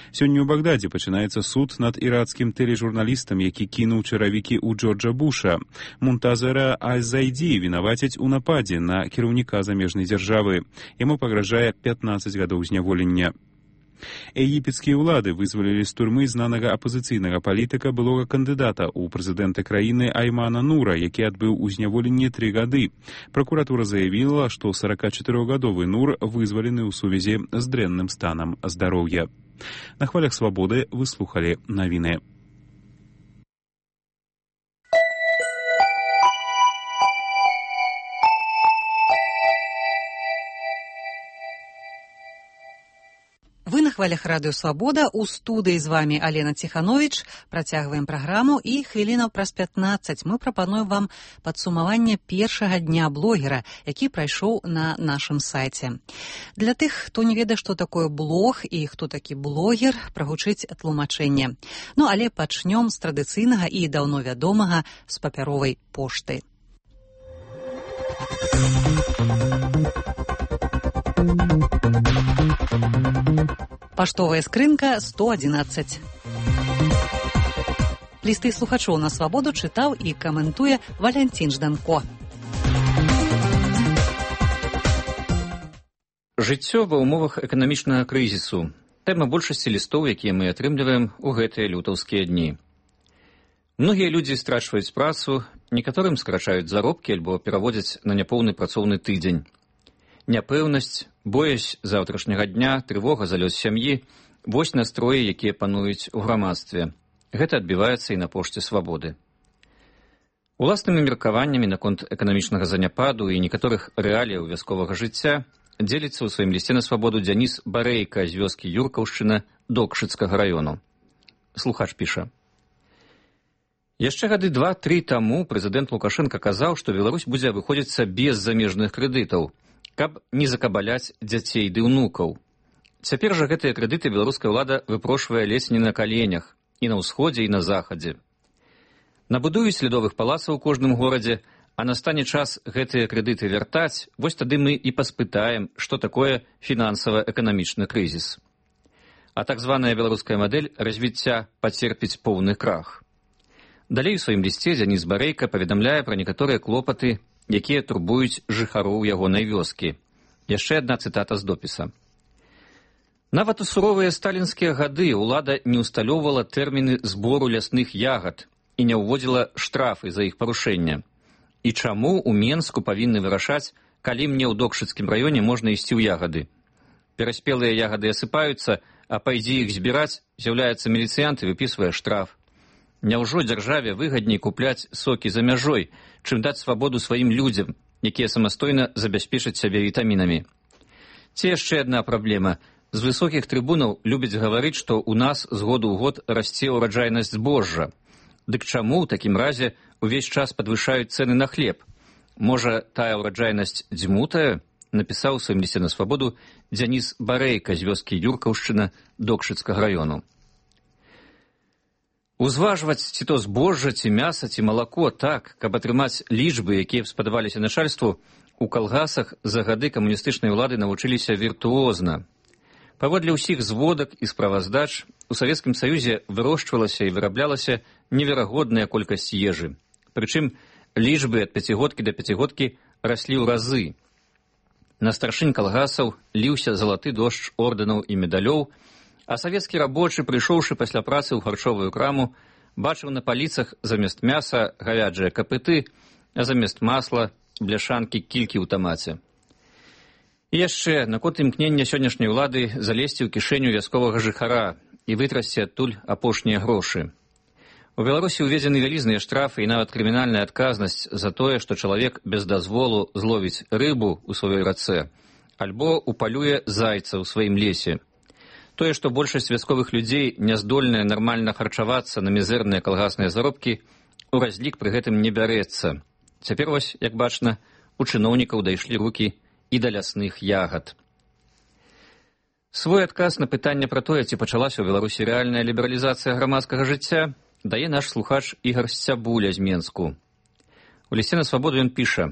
Сёння ў Багдадзе пачынаецца суд над іракскім тэлежурналістам, які кінуў чаравікі ў Джорджа Буша. Мунтазера Аль-Зайді вінавацяць у нападзе на кіраўніка замежнай дзяржавы. Яму пагражае пятнаццаць гадоў зняволення. Егіпецкія ўлады вызвалілі з турмы знанага апазіцыйнага палітыка, былога кандыдата ў прэзідэнта краіны Аймана Нура, які адбыў у зняволенні тры гады. Пракуратура заявіла, што сорокачатырохгадовы Нур вызвалены ў сувязі з дрэнным станам здароўя. На хвалях Свабоды вы слухалі навіны. Вы на хвалях Радыё Свабода, у студыі з вами Алена Ціхановіч. Працягваем праграму і хвілінаў праз пятнаццаць мы прапануем вам падсумаванне першага дня блогера, які прайшоў на нашым сайце. Для тых, хто не ведае, што такое блог і хто такі блогер, прагучыць тлумачэнне. Ну, але пачнём з традыцыйнага і даўно вядомага з папяровай пошты. Паштовая скрынка сто адзінаццаць. Лісты слухачоў на Свабоду чытаў і каментуе Валянцін Жданко. Жыццё ва ўмовах эканамічнага крызісу. Тэма большасці лістоў, якія мы атрымліваем у гэтыя лютаўскія дні. Многія людзі страчваюць працу, некаторым скарачаюць заробкі альбо пераводзяць на няпоўны працоўны тыдзень. Няпэўнасць, боязь заўтрашняга дня, трывога за лёс сям'і – вось настроі, якія пануюць у грамадстве. Гэта адбіваецца і на пошце свабоды. Уласнымі меркаваннямі наконт эканамічнага заняпаду і некаторых рэаліяў вясковага жыцця дзеліцца ў сваім лісце на свабоду Дзяніс Барэйка з вёскі Юркаўшчына Докшыцкага раёну. Слухач піша. Яшчэ гады два-тры таму прэзідэнт Лукашенка казаў, што Беларусь будзе абыходзіцца без замежных крэдытаў, каб не закабаляць дзяцей ды ўнукаў. Цяпер жа гэтыя крэдыты беларуская ўлада выпрошвае ледзь не на каленях, і на ўсходзе, і на захадзе. Набудуюць ледовых палацаў у кожным горадзе, а настане час гэтыя крэдыты вяртаць, вось тады мы і паспытаем, што такое фінансава-эканамічны крызіс. А так званая беларуская мадэль развіцця пацерпіць поўны крах. Далей у сваім лісце Дзяніс Барэйка паведамляе пра некаторыя клопаты, якія турбуюць жыхароў ягонай вёскі. Яшчэ адна цытата з допіса. Нават у суровыя сталінскія гады ўлада не ўсталёўвала тэрміны збору лясных ягад і не ўводзіла штрафы за іх парушэнне. І чаму ў Менску павінны вырашаць, калі мне ў Докшыцкім раёне можна ісці ў ягады? Пераспелыя ягады асыпаюцца, а пайдзі іх збіраць, з'яўляецца міліцыянт і выпісвае штраф. Няўжо дзяржаве выгадней купляць сокі за мяжой, чым даць свабоду сваім людзям, якія самастойна забяспечаць сябе вітамінамі? Ці яшчэ адна праблема. З высокіх трыбунаў любяць гаварыць, што ў нас з году ў год расце ўраджайнасць збожжа. Дык чаму ў такім разе увесь час падвышаюць цэны на хлеб? Можа, тая ўраджайнасць дзьмутая? Напісаў у сваім лісце на свабоду Дзяніс Барэйка з вёскі Юркаўшчына Докшыцкага раёну. Узважваць ці то збожжа, ці мяса, ці малако так, каб атрымаць лічбы, якія б спадабаліся начальству, у калгасах за гады камуністычнай улады навучыліся віртуозна. Паводле ўсіх зводак і справаздач, у Савецкім Саюзе вырошчвалася і выраблялася неверагодная колькасць ежы. Прычым лічбы ад пяцігодкі да пяцігодкі раслі ў разы. На старшынь калгасаў ліўся залаты дождж ордэнаў і медалёў, а савецкі рабочы, прыйшоўшы пасля працы ў харчовую краму, бачыў на паліцах замест мяса гавяджыя капыты, а замест масла бляшанкі кількі ў тамаце. І яшчэ наконт імкнення сённяшняй улады залезці ў кішэню вясковага жыхара і вытрасці адтуль апошнія грошы. У Беларусі ўведзены вялізныя штрафы і нават крымінальная адказнасць за тое, што чалавек без дазволу зловіць рыбу ў сваёй рацэ альбо упалюе зайца ў сваім лесе. Тое, што большасць вясковых людзей не здольная нармальна харчавацца на мізэрныя калгасныя заробкі, у разлік пры гэтым не бярэцца. Цяпер вось, як бачна, у чыноўнікаў дайшлі рукі і да лясных ягад. Свой адказ на пытанне пра тое, ці пачалася ў Беларусі рэальная лібералізацыя грамадскага жыцця, дае наш слухач Ігар Сцябуля з Менску. У лісце на свабоду ён піша: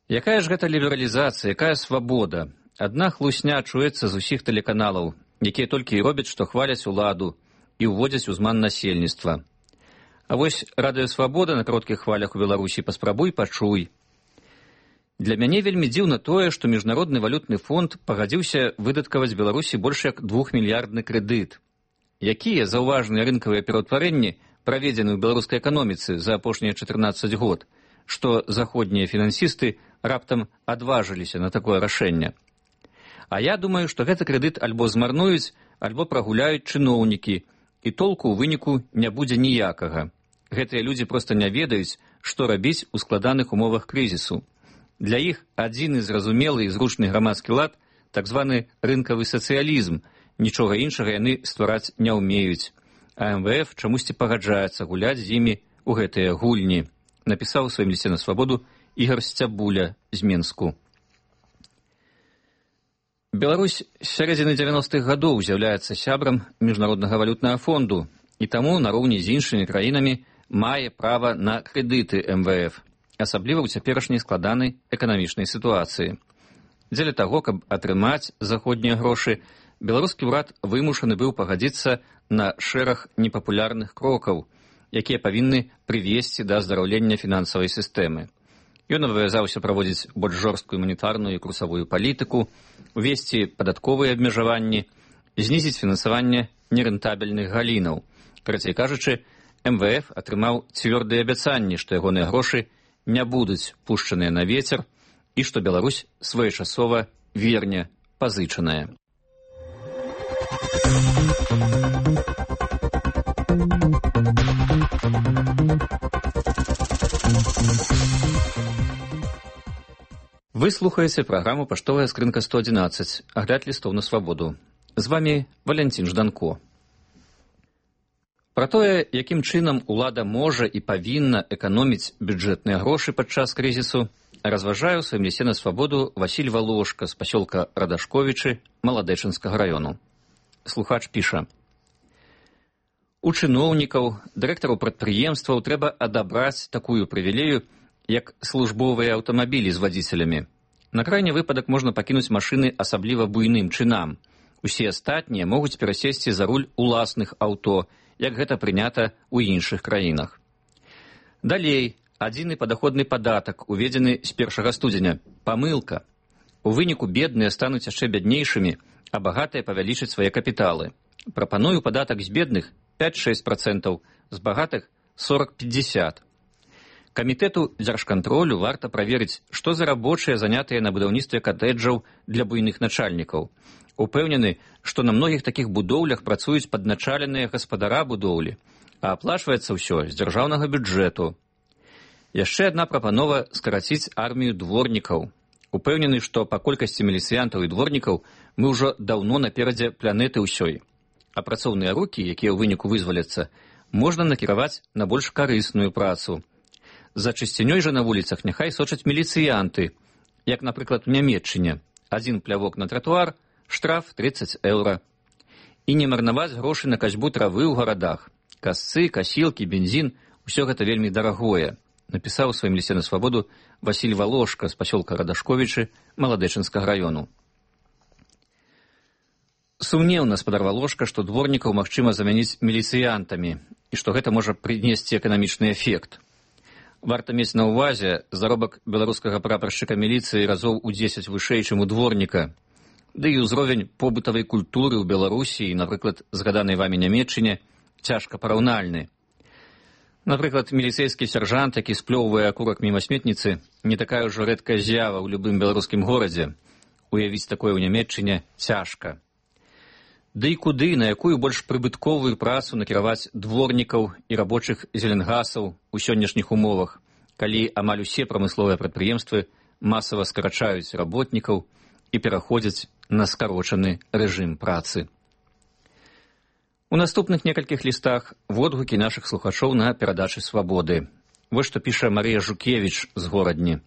«Якая ж гэта лібералізацыя, якая свабода? Адна хлусня чуецца з усіх тэлеканалаў, якія толькі і робяць, што хваляць уладу і ўводзяць узман насельніцтва. А вось радыёсвабода на кароткіх хвалях у Беларусі паспрабуй пачуй. Для мяне вельмі дзіўна тое, што Міжнародны валютны фонд пагадзіўся выдаткаваць Беларусі больш як двухмільярдны крэдыт. Якія заўважныя рынкавыя пераўтварэнні праведзены ў беларускай эканоміцы за апошнія чатырнаццаць год, што заходнія фінансісты раптам адважыліся на такое рашэнне. А я думаю, што гэты крэдыт альбо змарнуюць, альбо прагуляюць чыноўнікі, і толку ў выніку не будзе ніякага. Гэтыя людзі проста не ведаюць, што рабіць у складаных умовах крызісу. Для іх адзіны зразумелы і зручны грамадскі лад, так званы рынкавы сацыялізм, нічога іншага яны ствараць не ўмеюць. А эм вэ эф чамусьці пагаджаецца гуляць з імі ў гэтыя гульні», напісаў у сваім лісце на свабоду Ігар Сцябуля з Менску. Беларусь з сярэдзіны дзевяностых гадоў з'яўляецца сябрам Міжнароднага валютнага фонду і таму нароўні з іншымі краінамі мае права на крэдыты эм вэ эф, асабліва ў цяперашняй складанай эканамічнай сітуацыі. Дзеля таго, каб атрымаць заходнія грошы, беларускі ўрад вымушаны быў пагадзіцца на шэраг непапулярных крокаў, якія павінны прывесці да аздараўлення фінансавай сістэмы. Ён абавязаўся праводзіць больш жорсткую манетарную і курсавую палітыку, увесці падатковыя абмежаванні, знізіць фінансаванне нерэнтабельных галінаў. Карацей кажучы, эм вэ эф атрымаў цвёрдыя абяцанні, што ягоныя грошы не будуць пушчаныя на вецер, і што Беларусь своечасова верне пазычаная. Вы слухаеце праграму «Паштовая скрынка сто адзінаццаць», агляд лістоў на свабоду. З вамі Валянцін Жданко. Пра тое, якім чынам улада можа і павінна эканоміць бюджэтныя грошы падчас крызісу, разважае ў сваім лісце на свабоду Васіль Валошка з пасёлка Радашковічы Маладэчынскага раёну. Слухач піша: у чыноўнікаў, дырэктараў прадпрыемстваў трэба адабраць такую прывілею, як службовыя аўтамабілі з вадзіцелямі. На крайні выпадак можна пакінуць машыны асабліва буйным чынам. Усе астатнія могуць перасесці за руль уласных аўто, як гэта прынята ў іншых краінах. Далей, адзіны падаходны падатак, уведзены з першага студзеня. Памылка. У выніку бедныя стануць яшчэ бяднейшымі, а багатыя павялічаць свае капіталы. Прапаную падатак з бедных пяць-шэсць працэнтаў, з багатых сорок-пятьдесят. Камітэту дзяржкантролю варта праверыць, што за рабочыя занятыя на будаўніцтве катэджаў для буйных начальнікаў. Упэўнены, што на многіх такіх будоўлях працуюць падначаленыя гаспадара будоўлі, а аплачваецца ўсё з дзяржаўнага бюджэту. Яшчэ адна прапанова скараціць армію дворнікаў. Упэўнены, што па колькасці міліцыянтаў і дворнікаў мы ўжо даўно наперадзе планеты ўсёй. А працоўныя рукі, якія ў выніку вызваляцца, можна накіраваць на больш карысную працу. За чысцінёй жа на вуліцах няхай сочаць міліцыянты, як, напрыклад, у Нямецчыне. Адзін плявок на тратуар, штраф тридцать еўра. І не марнаваць грошы на касьбу травы ў гарадах. Касцы, касілкі, бензін – усё гэта вельмі дарагое, напісаў у сваім лісце на свабоду Васіль Валошка з пасёлка Радашковічы Маладэчынскага раёну. Сумнеўна спадар Валошка, што дворнікаў магчыма замяніць міліцыянтамі і што гэта можа прынесці эканамічны эфект. Варта мець на ўвазе, заробак беларускага прапаршчыка міліцыі разоў у дзесяць вышэй, чым у дворніка. Ды і ўзровень побытавай культуры ў Беларусі, напрыклад, згаданай вамі Нямецчыне, цяжка параўнальны. Напрыклад, міліцэйскі сяржант, які сплёўвае акурак міма сметніцы, не такая ўжо рэдкая з'ява ў любым беларускім горадзе. Уявіць такое ў Нямецчыне цяжка. Ды і куды, на якую больш прыбытковую працу накіраваць дворнікаў і рабочых зеленгасаў у сённяшніх умовах, калі амаль усе прамысловыя прадпрыемствы масава скарачаюць работнікаў і пераходзяць на скарочаны рэжым працы. У наступных некалькіх лістах водгукі нашых слухачоў на перадачы свабоды. Вось што піша Марыя Жукевіч з горадні.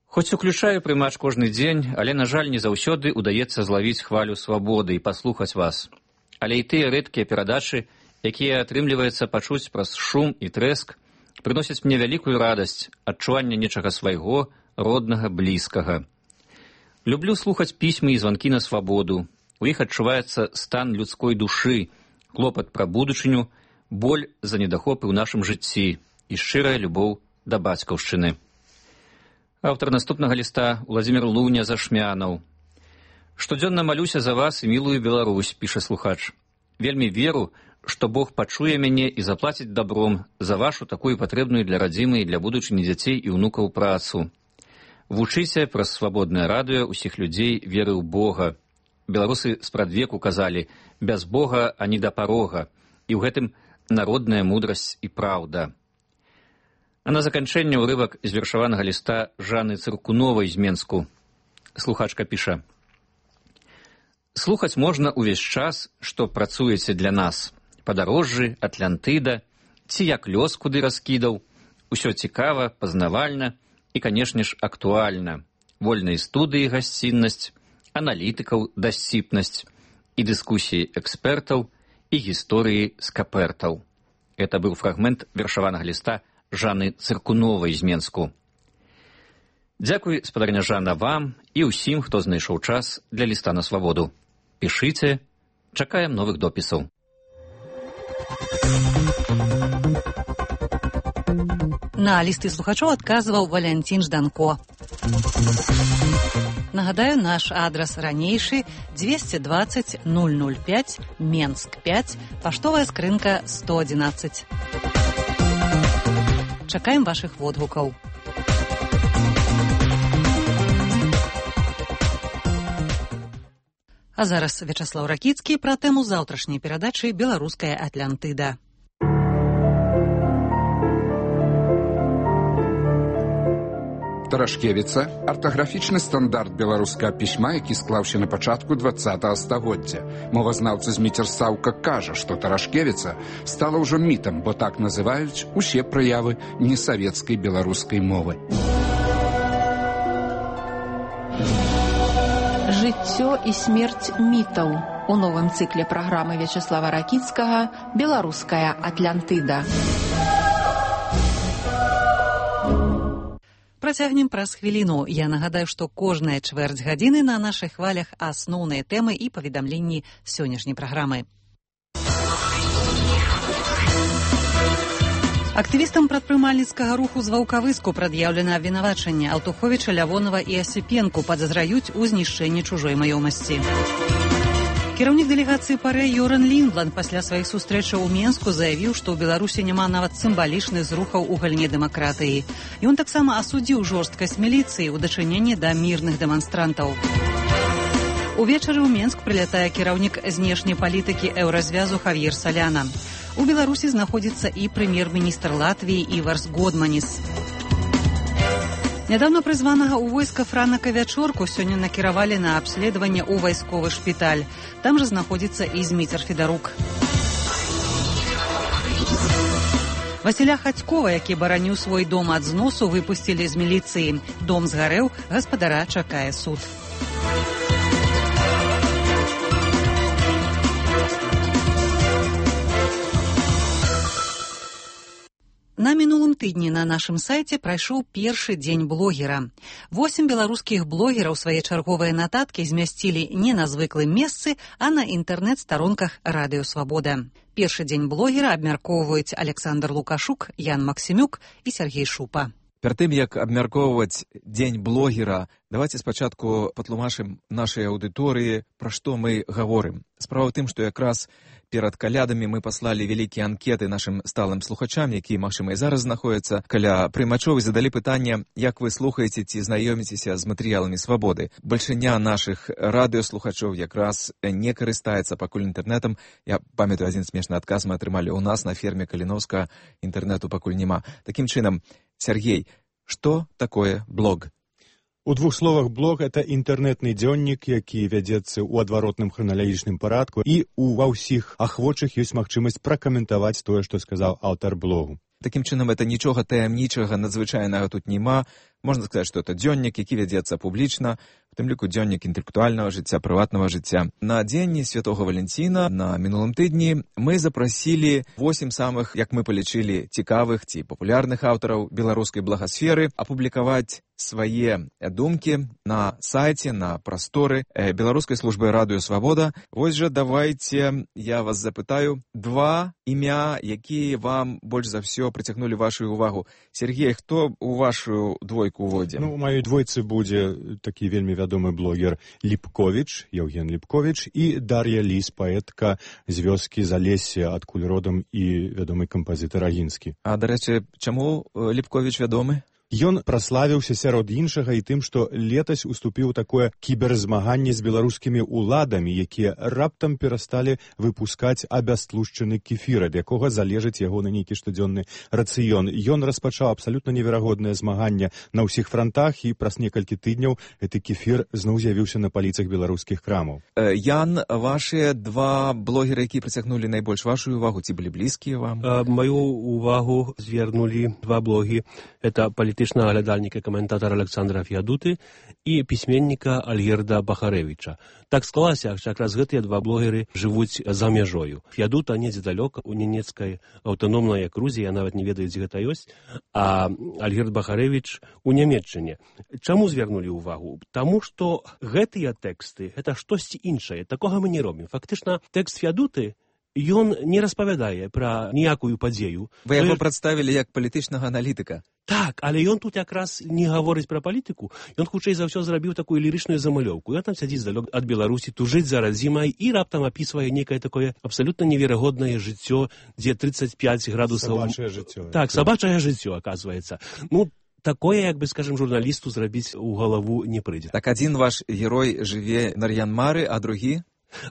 Хоць уключаю прымач кожны дзень, але, на жаль, не заўсёды удаецца злавіць хвалю свабоды і паслухаць вас. Але і тыя рэдкія перадачы, якія атрымліваецца пачуць праз шум і трэск, прыносяць мне вялікую радасць, адчуванне нечага свайго, роднага, блізкага. Люблю слухаць пісьмы і званкі на свабоду. У іх адчуваецца стан людской душы, клопат пра будучыню, боль за недахопы ў нашым жыцці і шчырая любоў да бацькаўшчыны. Аўтар наступнага ліста Уладзімір Луня Зашмянаў. Штодзённа малюся за вас і мілую Беларусь, піша слухач. Вельмі веру, што Бог пачуе мяне і заплаціць дабром за вашу такую патрэбную для радзімы і для будучыні дзяцей і ўнукаў працу. Вучыце праз свабоднае радыё ўсіх людзей веры ў Бога. Беларусы спрадвеку казалі: без Бога ані да парога, і ў гэтым народная мудрасць і праўда. А на заканчэнне ўрывак з вершаванага ліста Жанны Цыркуновай з Менску. Слухачка піша: слухаць можна ўвесь час, што працуеце для нас. Падарожжы, Атлантыда, ці як лёс куды раскідаў. Усё цікава, пазнавальна і, канешне ж, актуальна. Вольныя студыі гасціннасць, аналітыкаў дасціпнасць і дыскусіі экспертаў і гісторыі скапертаў. Это быў фрагмент вершаванага ліста Жанны Цыркуновай з Менску. Дзякуй, спадарня Жанна, вам і ўсім, хто знайшоў час для ліста на свабоду. Пішыце, чакаем новых допісаў. На лісты слухачоў адказваў Валянцін Жданко. Нагадаю, наш адрас ранейшы двести двадцать ноль ноль пять, Менск пять, паштовая скрынка сто адзінаццаць. Чакаем вашых водгукаў. А зараз Вячаслаў Ракіцкі пра тэму заўтрашняй перадачы «Беларуская Атлантыда». Тарашкевіца – артаграфічны стандарт беларускага пісьма, які склаўся на пачатку двадцатага стагоддзя. Мовазнаўца Зміцер Саўка кажа, што Тарашкевіца стала ўжо мітам, бо так называюць усе праявы несавецкай беларускай мовы. Жыццё і смерць мітаў у новым цыкле праграмы Вячаслава Ракіцкага «Беларуская Атлантыда». Працягнем праз хвіліну. Я нагадаю, што кожная чвэрць гадзіны на нашых хвалях асноўныя тэмы і паведамленні сённяшняй праграмы. Актывістам прадпрымальніцкага руху з Ваўкавыску прад'яўлена абвінавачанне. Аўтуховіча, Лявонава і Асіпенку падазраюць у знішчэнні чужой маёмасці. Кіраўнік дэлегацыі ПАРЭ Йоран Лінбланд пасля сваіх сустрэчаў у Менску заявіў, што ў Беларусі няма нават сімвалічных зрухаў у галіне дэмакратыі. Ён таксама асудзіў жорсткасць міліцыі ў дачыненні да мірных дэманстрантаў. Увечары ў Менск прылятае кіраўнік знешняй палітыкі еўразвязу Хавьер Саляна. У Беларусі знаходзіцца і прэм'ер-міністр Латвіі Іварс Годманіс. Нядаўна прызванага ў войска Франака Вячорку сёння накіравалі на абследаванне ў вайсковы шпіталь. Там жа знаходзіцца і Зміцер Федарук. Васіля Хацькова, які бараніў свой дом ад зносу, выпусцілі з міліцыі. Дом згарэў, гаспадара чакае суд. На мінулым тыдні на нашым сайце прайшоў першы дзень блогера. Восем беларускіх блогераў свае чарговыя нататкі змясцілі не на звыклым месцы, а на інтэрнэт-старонках Радыё Свабода. Першы дзень блогера абмяркоўваюць Александр Лукашук, Ян Максімюк і Сергей Шупа. Перад тым, як абмяркоўваць дзень блогера, давайте спачатку патлумачым нашай аўдыторыі, пра што мы гаворым. Справа ў тым, што якраз перад калядамі мы паслалі вялікія анкеты нашым сталым слухачам, якія, магчыма, і зараз знаходзяцца каля прымачоў, і задалі пытанне, як вы слухаеце ці знаёміцеся з матэрыяламі Свабоды. Бальшыня нашых радыёслухачоў якраз не карыстаецца пакуль інтэрнэтам. Я памятаю, адзін смешны адказ мы атрымалі ў нас на ферме Каліновска, інтэрнэту пакуль няма. Такім чынам, Сергей, што такое блог? У двух словах, блог – это інтэрнэтны дзённік, які вядзецца ў адваротным храналагічным парадку, і у ва ўсіх ахвочых ёсць магчымасць пракаментаваць тое, што сказаў аўтар блогу. Такім чынам, это нічога таямнічага, надзвычайнага тут няма. Можна сказаць, што это дзённік, які вядзецца публічна, у тым ліку дзённік інтэлектуальнага жыцця, прыватнага жыцця. На дзень Святога Валянціна на мінулым тыдні мы запрасілі восем самых, як мы палічылі, цікавых ці папулярных аўтараў беларускай благасферы апублікаваць свае думкі на сайце, на прасторы беларускай службы Радыё Свабода. Вось жа давайте я вас запытаю два імя, якія вам больш за ўсё прыцягнулі вашу увагу. Сергей, хто у вашу двойку уводзе? Ну, у маёй двойцы будзе такі вельмі вядомы блогер Ліпковіч, Яўген Ліпковіч, і Дар'я Ліс, паэтка з вёскі Залесся, адкуль родам і вядомы кампазітар Агінскі. А, дарэчы, чаму Ліпковіч вядомы? Ён праславіўся сярод іншага і тым, што летась уступіў такое кіберзмаганне з беларускімі ўладамі, якія раптам перасталі выпускаць абястлушчаны кефір, ад якога залежыць ягоны нейкі штодзённы рацыён. Ён распачаў абсалютна неверагоднае змаганне на ўсіх франтах, і праз некалькі тыдняў гэты кефір зноў з'явіўся на паліцах беларускіх крамаў. Ян, вашыя два блогеры, якія прыцягнулі найбольш вашу увагу, ці былі блізкія вам? Маю увагу звярнулі два блогі. Это палітычнага глядальніка і каментатара Александра Феадуты і пісьменніка Альгерда Бахарэвіча. Так склалася, што якраз гэтыя два блогеры жывуць за мяжою. Феадута недзе далёка у ненецкай аўтаномнай акрузе, я нават не ведаю, дзе гэта ёсць, а Альгерд Бахарэвіч у Нямецчыне. Чаму звярнулі ўвагу? Таму што гэтыя тэксты, гэта штосьці іншае. Такога мы не робім. Фактычна, тэкст Феадуты ён не распавядае пра ніякую падзею. Вы яго прадставілі як палітычнага аналітыка. Так, але ён тут якраз не гаворыць пра палітыку. Ён хутчэй за ўсё зрабіў такую лірычную замалёўку. Ён там сядзіць здалёк ад Беларусі, тужыць за радзімай і раптам апісвае некае такое абсалютна неверагоднае жыццё, дзе тридцать пять градусаў... Сабачае жыццё. Так, сабачае жыццё, аказваецца. Ну, такое, як бы, скажем, журналісту зрабіць у галаву не прыйдзе. Так адзін ваш герой жыве на Нар'ян-Мары, а другі?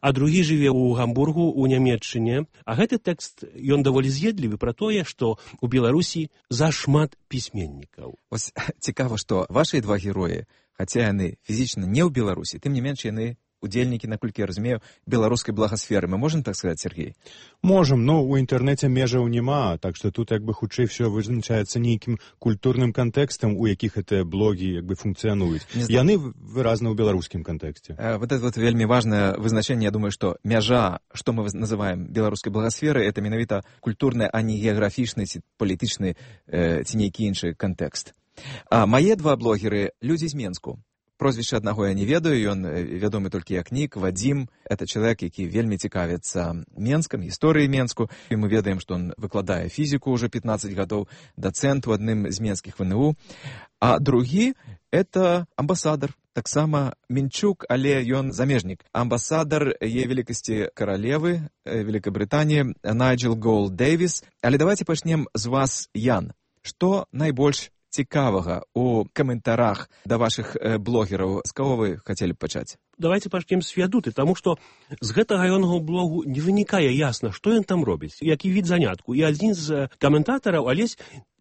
А другі жыве ў Гамбургу, у Нямецчыне. А гэты тэкст, ён даволі з'едлівы пра тое, што ў Беларусі зашмат пісьменнікаў. Вось цікава, што вашыя два героі, хаця яны фізічна не ў Беларусі, тым не менш яны удзельнікі, наколькі я разумею, беларускай благасферы. Мы можем так сказаць, Сергей? Можем, но у інтэрнэце межаў няма, так што тут як бы хутчэй все вызначаецца нейкім культурным кантэкстам, у якіх гэтыя блогі як бы функцыянуюць. Яны выразна ў беларускім кантэксце. Э, вот это вот вельмі важнае вызначэнне. Я думаю, што мяжа, што мы называем беларускай благасферай, это менавіта культурны, а не геаграфічны ці палітычны э, ці нейкі іншы кантэкст. А мае два блогеры людзі з Менску. Прозвішча аднаго я не ведаю, ён вядомы толькі як нік, Вадзім. Это чалавек, які вельмі цікавіцца Менскам, гісторыяй Менску. І мы ведаем, што ён выкладае фізіку ўжо пятнаццаць гадоў, дацэнт у адным з менскіх вэ эн у. А другі — это амбасадар, таксама Мінчук, але ён замежнік. Амбасадар яе велікасці каралевы Великабрытаніі Найджел Гоул Дэвіс. Але давайте пачнем з вас, Ян. Што найбольш цікавага у каментарах да вашых э, блогераў? З каго вы хацелі б пачаць? Давайте пачнем з Феадуты, таму што з гэтага ягонага блогу не вынікае ясна, што ён там робіць, які від занятку. І адзін з каментатараў, Алесь,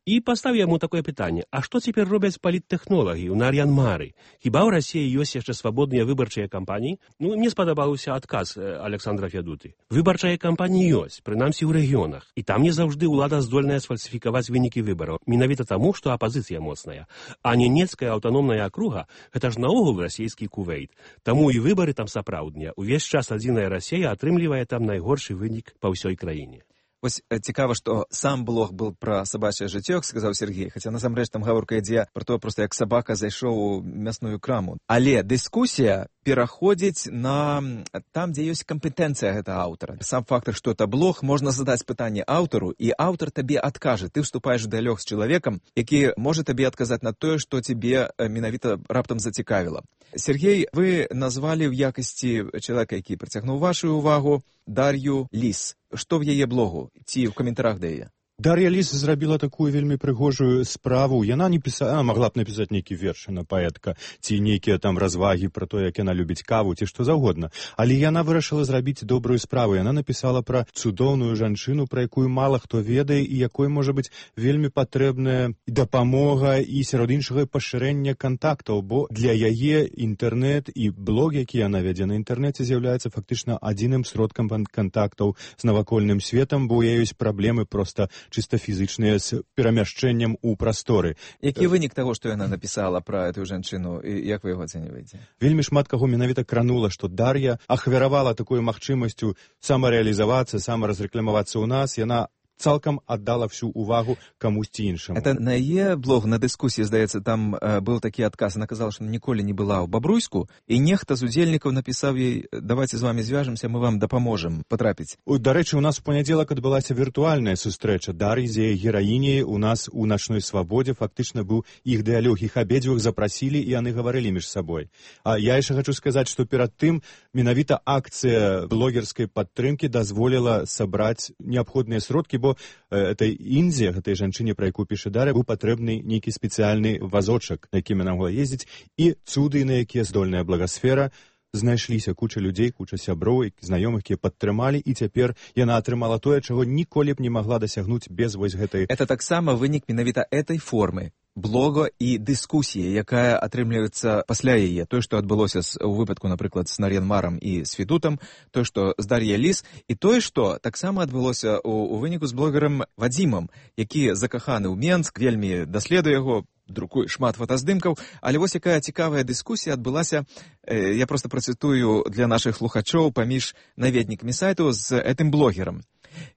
і паставіў яму такое пытанне: а што цяпер робяць паліттэхнолагі ў Нар'ян-Мары? Хіба ў Расіі ёсць яшчэ свабодныя выбарчыя кампаніі? Ну, мне спадабаўся адказ Александра Феадуты. Выбарчыя кампаніі ёсць, прынамсі ў рэгіёнах. І там не заўжды ўлада здольная сфальсіфікаваць вынікі выбараў. Менавіта таму, што апазіцыя моцная. А Ненецкая аўтаномная акруга — гэта ж наогул расійскі Кувейт. Таму і выбары там сапраўдныя. Увесь час адзіная Расія атрымлівае там найгоршы вынік па ўсёй краіне. Вось цікава, што сам блог был пра сабачае жыццё, сказаў Сергей, хаця насамрэч там гаворка ідзе пра то, проста як сабака зайшоў у мясную краму. Але дыскусія пераходзіць на там, дзе ёсць кампетэнцыя гэтага аўтара. Сам фактор, што это блог, можна задаць пытанне аўтару, і аўтар табе адкажа. Ты вступаеш у дыялог з чалавекам, які можа табе адказаць на тое, што тебе менавіта раптам зацікавіла. Сергей, вы назвалі ў якасці чалавека, які прыцягнуў вашу ўвагу, Дар'ю Ліс. Што в яе блогу? Ці ў каментарах да яе? Дар'я Ліс зрабіла такую вельмі прыгожую справу. Яна не пісала, магла б напісаць нейкі верш, яна паэтка, ці нейкія там развагі пра то, як яна любіць каву, ці што заўгодна. Але яна вырашыла зрабіць добрую справу. Яна напісала пра цудоўную жанчыну, пра якую мала хто ведае, і якой можа быць вельмі патрэбная дапамога і сярод іншага пашырэння кантактаў, бо для яе інтэрнэт і блог, які яна вядзе на інтэрнэце, з'яўляецца фактычна адзіным сродкам кантактаў з навакольным светам, бо у яе ёсць праблемы проста чыста фізычныя з перамяшчэннем у прасторы. Які вынік таго, што яна напісала пра эту жанчыну, і як вы яго ацэньваеце? Вельмі шмат каго менавіта кранула, што Дар'я ахвяравала такой магчымасцю самарэалізавацца, самаразрэкламавацца ў нас. Яна цалкам аддала всю увагу камусьці іншаму. Это на яе блог, на дыскусіі, здаецца, там э, быў такі адказ. Она казала, што ніколі не была ў Бабруйску, і нехта з удзельнікаў напісаў ёй: давайте з вами звяжемся, мы вам дапаможам патрапіць. Дарэчы, у нас у панядзелак адбылася віртуальная сустрэча Дар'і з яе гераіняй. У нас у начной свабодзе фактычна быў іх дыялог, іх абедзвюх запрасілі, і яны гаварылі між сабой. А я яшчэ хачу сказаць, што перад тым менавіта акцыя блогерскай падтрымкі дазволіла сабраць неабходныя сродкі, бо этой Індзе, гэтай жанчыне, пра якую піша Дар'я, быў патрэбны нейкі спецыяльны вазочак, на якім яна могла ездзіць, і цуды, на якія здольная благасфера. Знайшліся куча людзей, куча сяброў, знаёмых, якія падтрымалі, і цяпер яна атрымала тое, чаго ніколі б не магла дасягнуць без вось гэтай... Это таксама вынік менавіта этой формы блога і дыскусіі, якая атрымліваецца пасля яе. Тое, што адбылося ў выпадку, напрыклад, з Нар'ян-Марам і з Федутам, тое, што з Дар'яй Ліс, і тое, што таксама адбылося ў, у выніку з блогерам Вадзімам, які закаханы ў Менск, вельмі даследуе яго, друкуе шмат фотаздымкаў. Але вось якая цікавая дыскусія адбылася, э, я проста працытую для нашых слухачоў паміж наведнікамі сайту з гэтым блогерам.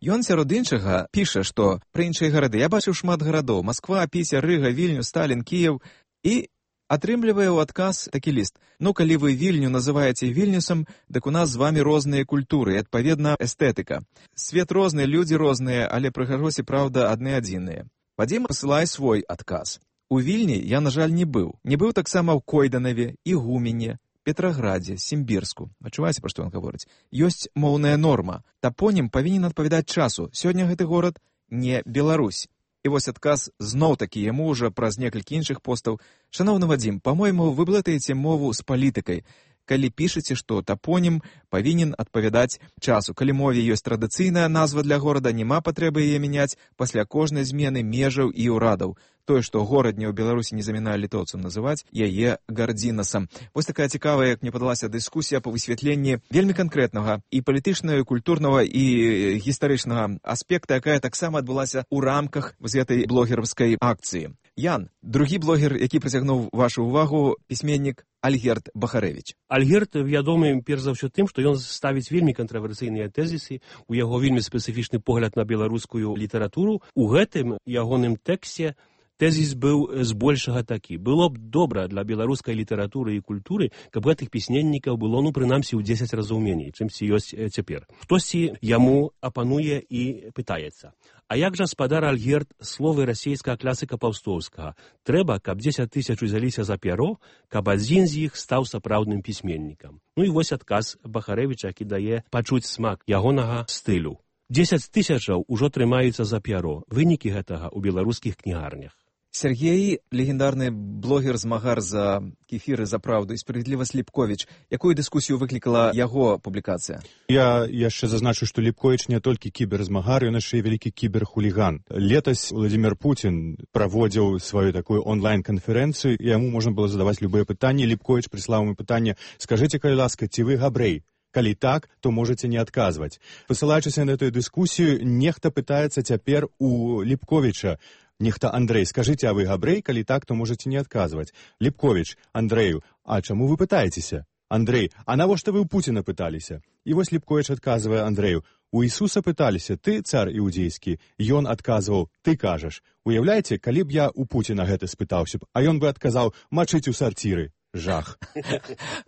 Ён сярод іншага піша, што пра іншыя гарады: я бачыў шмат гарадоў: Масква, Піся, Рыга, Вільню, Сталін, Кіеў. І атрымлівае ў адказ такі ліст: ну, калі вы Вільню называеце Вільнюсам, дык у нас з вамі розныя культуры, і, адпаведна, эстэтыка. Свет розны, людзі розныя, але прыгажосі, праўда, адны адзіныя. Вадзім пасылае свой адказ: у Вільні я, на жаль, не быў. Не быў таксама ў Койданаве, Ігумене, Петраградзе, Сімбірску. Адчуваеце, пра што ён гаворыць? Ёсць моўная норма. Тапонім павінен адпавядаць часу. Сёння гэты горад не Беларусь. І вось адказ зноў-такі яму ўжо праз некалькі іншых постаў. Шановны Вадзім, па-мойму, вы блытаеце мову з палітыкай, калі пішаце, што тапонім павінен адпавядаць часу. Калі мове ёсць традыцыйная назва для горада, няма патрэбы яе мяняць пасля кожнай змены межаў і ўрадаў. Тое, што горад не ў Беларусі не замінае літоўцам, называць яе Гардзінасам. Вось такая цікавая, як мне падалася, дыскусія па высвятленні вельмі канкрэтнага і палітычнага, і культурнага, і гістарычнага аспекта, якая таксама адбылася ў рамках з гэтай блогераўскай акцыі. Ян, другі блогер, які прыцягнуў вашу ўвагу, пісьменнік Альгерд Бахарэвіч. Альгерд вядомы перш за ўсё тым, што ён ставіць вельмі кантравярсійныя тэзісы, у яго вельмі спецыфічны погляд на беларускую літаратуру. У гэтым ягоным тэксце тэзіс быў збольшага такі. Было б добра для беларускай літаратуры і культуры, каб гэтых пісьменнікаў было, ну, прынамсі, ў дзесяць разоў меней, чымсьці ёсць цяпер. Хтосьці яму апануе і пытаецца. А як жа, спадар Альгерд, словы расейскага класыка Паўстоўскага? Трэба, каб дзесяць тысяч узяліся за пяро, каб адзін з іх стаў сапраўдным пісьменнікам. Ну і вось адказ Бахарэвіча, які дае пачуць смак ягонага стылю. дзесяць тысячаў ужо трымаюцца за пяро. Вынікі гэтага ў беларускіх кнігарнях. Сергей, легендарны блогер-змагар за кефіры, за праўду і справядлівасць Ліпковіч. Якую дыскусію выклікала яго публікацыя? Я яшчэ зазначу, што Ліпковіч не толькі кіберзмагар, ён яшчэ і вялікі кіберхуліган. Летась Владимир Путин праводзіў сваю такую онлайн-канферэнцыю, і яму можна было задаваць любыя пытанні. Ліпковіч прыслаў ему пытанне: «Скажыце, калі ласка, ці вы габрэй? Калі так, то можаце не адказваць». Пасылаючыся на эту дыскусію, нехта пытаецца цяпер у Ліпковіча: «Нехта, Андрэй, скажыце, а вы габрэй? Калі так, то можаце не адказваць». Ліпковіч: «Андрэю, а чаму вы пытаецеся?» Андрэй: «А навошта вы ў Пуціна пыталіся?» І вось Ліпковіч адказвае Андрэю: «У Ісуса пыталіся, ты цар іудзейскі». Ён адказваў: «Ты кажаш». Уяўляеце, калі б я ў Пуціна гэта спытаўся б, а ён бы адказаў: «Мачыць у сарціры». Жах.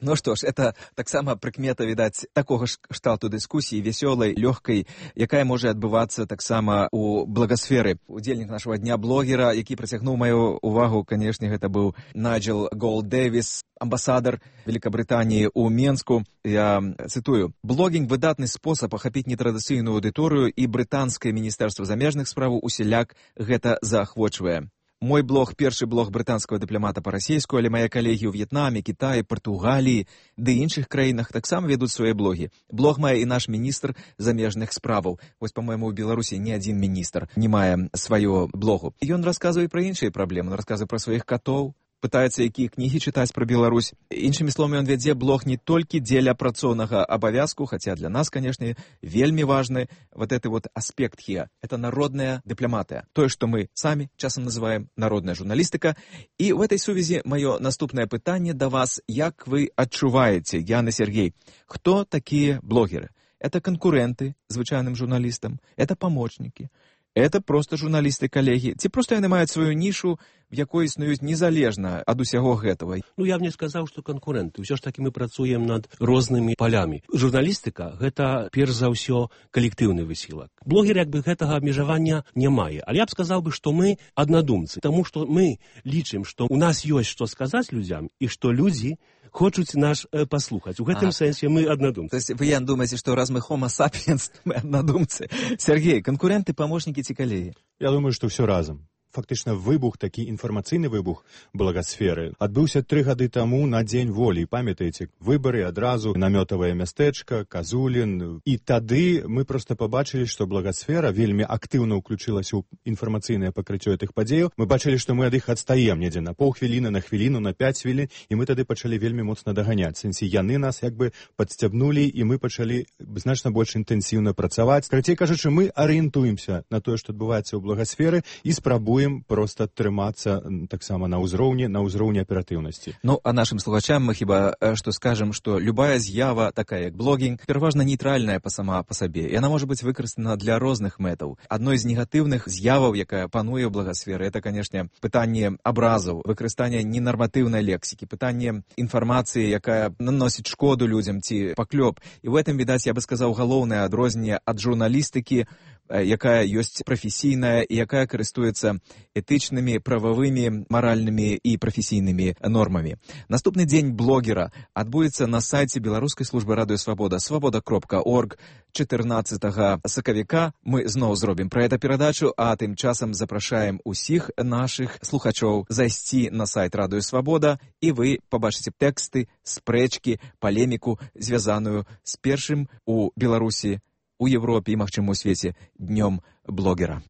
Ну што ж, это таксама прыкмета, відаць, такога ж кшталту дыскусіі, весёлай, лёгкай, якая можа адбывацца таксама ў благасферы. Удзельнік нашага дня блогера, які прыцягнуў маю увагу, канешне, гэта быў Найджел Голд-Дэвіс, амбасадар Великабрытаніі ў Менску. Я цытую: «Блогінг – выдатны спосаб ахапіць нетрадыцыйную аўдыторыю, і брытанскае міністэрства замежных справаў усяляк гэта заахвочвае. Мой блог – першы блог брытанскага дыпламата па-расейску, але мае калегі ў В'етнаме, Кітаі, Партугаліі ды іншых краінах таксама ведуць свае блогі. Блог мае і наш міністр замежных справаў. Вось, па-мойму, у Беларусі ні адзін міністр не мае сваё блогу. Ён расказвае пра іншыя праблемы, ён расказвае пра сваіх катоў, пытаецца, якія кнігі чытаць пра Беларусь. Іншымі словамі, ён вядзе блог не толькі дзеля працоўнага абавязку, хаця для нас, канешне, вельмі важны вот это вот аспект хія. Это народная дыпламатыя. Тое, што мы самі часам называем народная журналістыка. І в этой сувязі маё наступнае пытанне да вас: як вы адчуваеце, Ян і Сергей, хто такія блогеры? Это канкуренты звычайным журналістам, это памочнікі, это просто журналісты-калегі, ці проста яны маюць сваю нішу, в якой існуюць незалежна ад усяго гэтага? Ну, я б не сказаў, што канкурэнты. Усё ж такі мы працуем над рознымі палямі. Журналістыка – гэта, перш за ўсё, калектыўны высілак. Блогер, як бы, гэтага абмежавання не мае. Але я б сказаў бы, што мы аднадумцы, таму што мы лічым, што у нас ёсць што сказаць людзям, і што людзі хочуць наш э, паслухаць. У гэтым а, сэнсе мы аднадумцы. То есть вы, Ян, думаеце, што раз мы homo sapiens, мы аднадумцы. Сергей, канкуренты, памочнікі ці калегі? Я думаю, што ўсё разам. Фактычна выбух, такі інфармацыйны выбух благасферы адбыўся тры гады таму на дзень волі. Памятаеце, выбары адразу, намётавае мястэчка, Казулін. І тады мы проста пабачылі, што благасфера вельмі актыўна ўключылася ў інфармацыйнае пакрыццё гэтых падзеяў. Мы бачылі, што мы ад іх адстаем недзе на паўхвіліны, на хвіліну, на пяць хвілін, і мы тады пачалі вельмі моцна даганяць. Сэнсе, яны нас як бы падсцябнулі, і мы пачалі значна больш інтэнсіўна працаваць. Карацей кажучы, мы арыентуемся на тое, што адбываецца ў благасферы, і спрабуем просто трымацца таксама на ўзроўні, на ўзроўні аператыўнасці. Ну, а нашым слухачам мы хіба што скажам, што любая з'ява, такая як блогінг, пераважна нейтральная па сама па сабе. Яна можа быць выкарыстана для розных мэтаў. Адной з негатыўных з'яваў, якая пануе ў благасферы, это, канешне, пытанне абразаў, выкарыстанне ненарматыўнай лексікі, пытанне інфармацыі, якая наносіць шкоду людзям ці паклёп. І ў гэтым, відаць, я бы сказаў, галоўнае адрозненне ад журналістыкі якая ёсць прафесійная і якая карыстуецца этычнымі, прававымі, маральнымі і прафесійнымі нормамі. Наступны дзень блогера адбудзецца на сайце беларускай службы радыёсвабода свабода кропка орг чатырнаццатага сакавіка. Мы зноў зробім пра гэта перадачу, а тым часам запрашаем усіх нашых слухачоў зайсці на сайт радыёсвабода, і вы пабачыце тэксты, спрэчкі, палеміку, звязаную з першым у Беларусі, у Европе і, магчыма, у свеце днём блогера.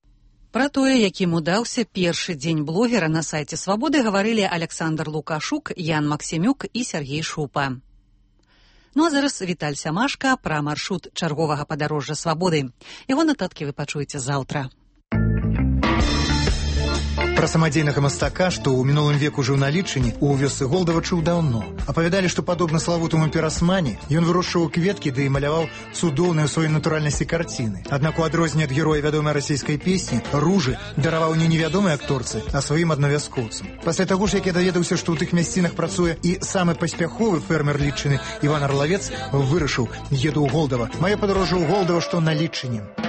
Пра тое, якім удаўся першы дзень блогера на сайце Свабоды, гаварылі Александр Лукашук, Ян Максімюк і Сергей Шупа. Ну а зараз Віталь Сямашка пра маршрут чарговага падарожжа Свабоды. Яго нататкі вы пачуеце заўтра. Пра самадзейнага мастака, што ў мінулым веку жыў на Літчыне, у вёсцы Голдава чуў даўно. Апавядалі, што падобна славутаму Пірасмані, ён вырошчваў кветкі ды і маляваў цудоўныя ў сваёй натуральнасці карціны. Аднак у адрозненне ад героя вядомай расійскай песні, Ружы дараваў не невядомай акторцы, а сваім аднавяскоўцам. Пасля таго ж, як я даведаўся, што ў тых мясцінах працуе і самы паспяховы фермер Літчыны Іван Арлавец, вырашыў: еду ў Голдава. Маё падарожжа ў Голдава, што на Літчыне.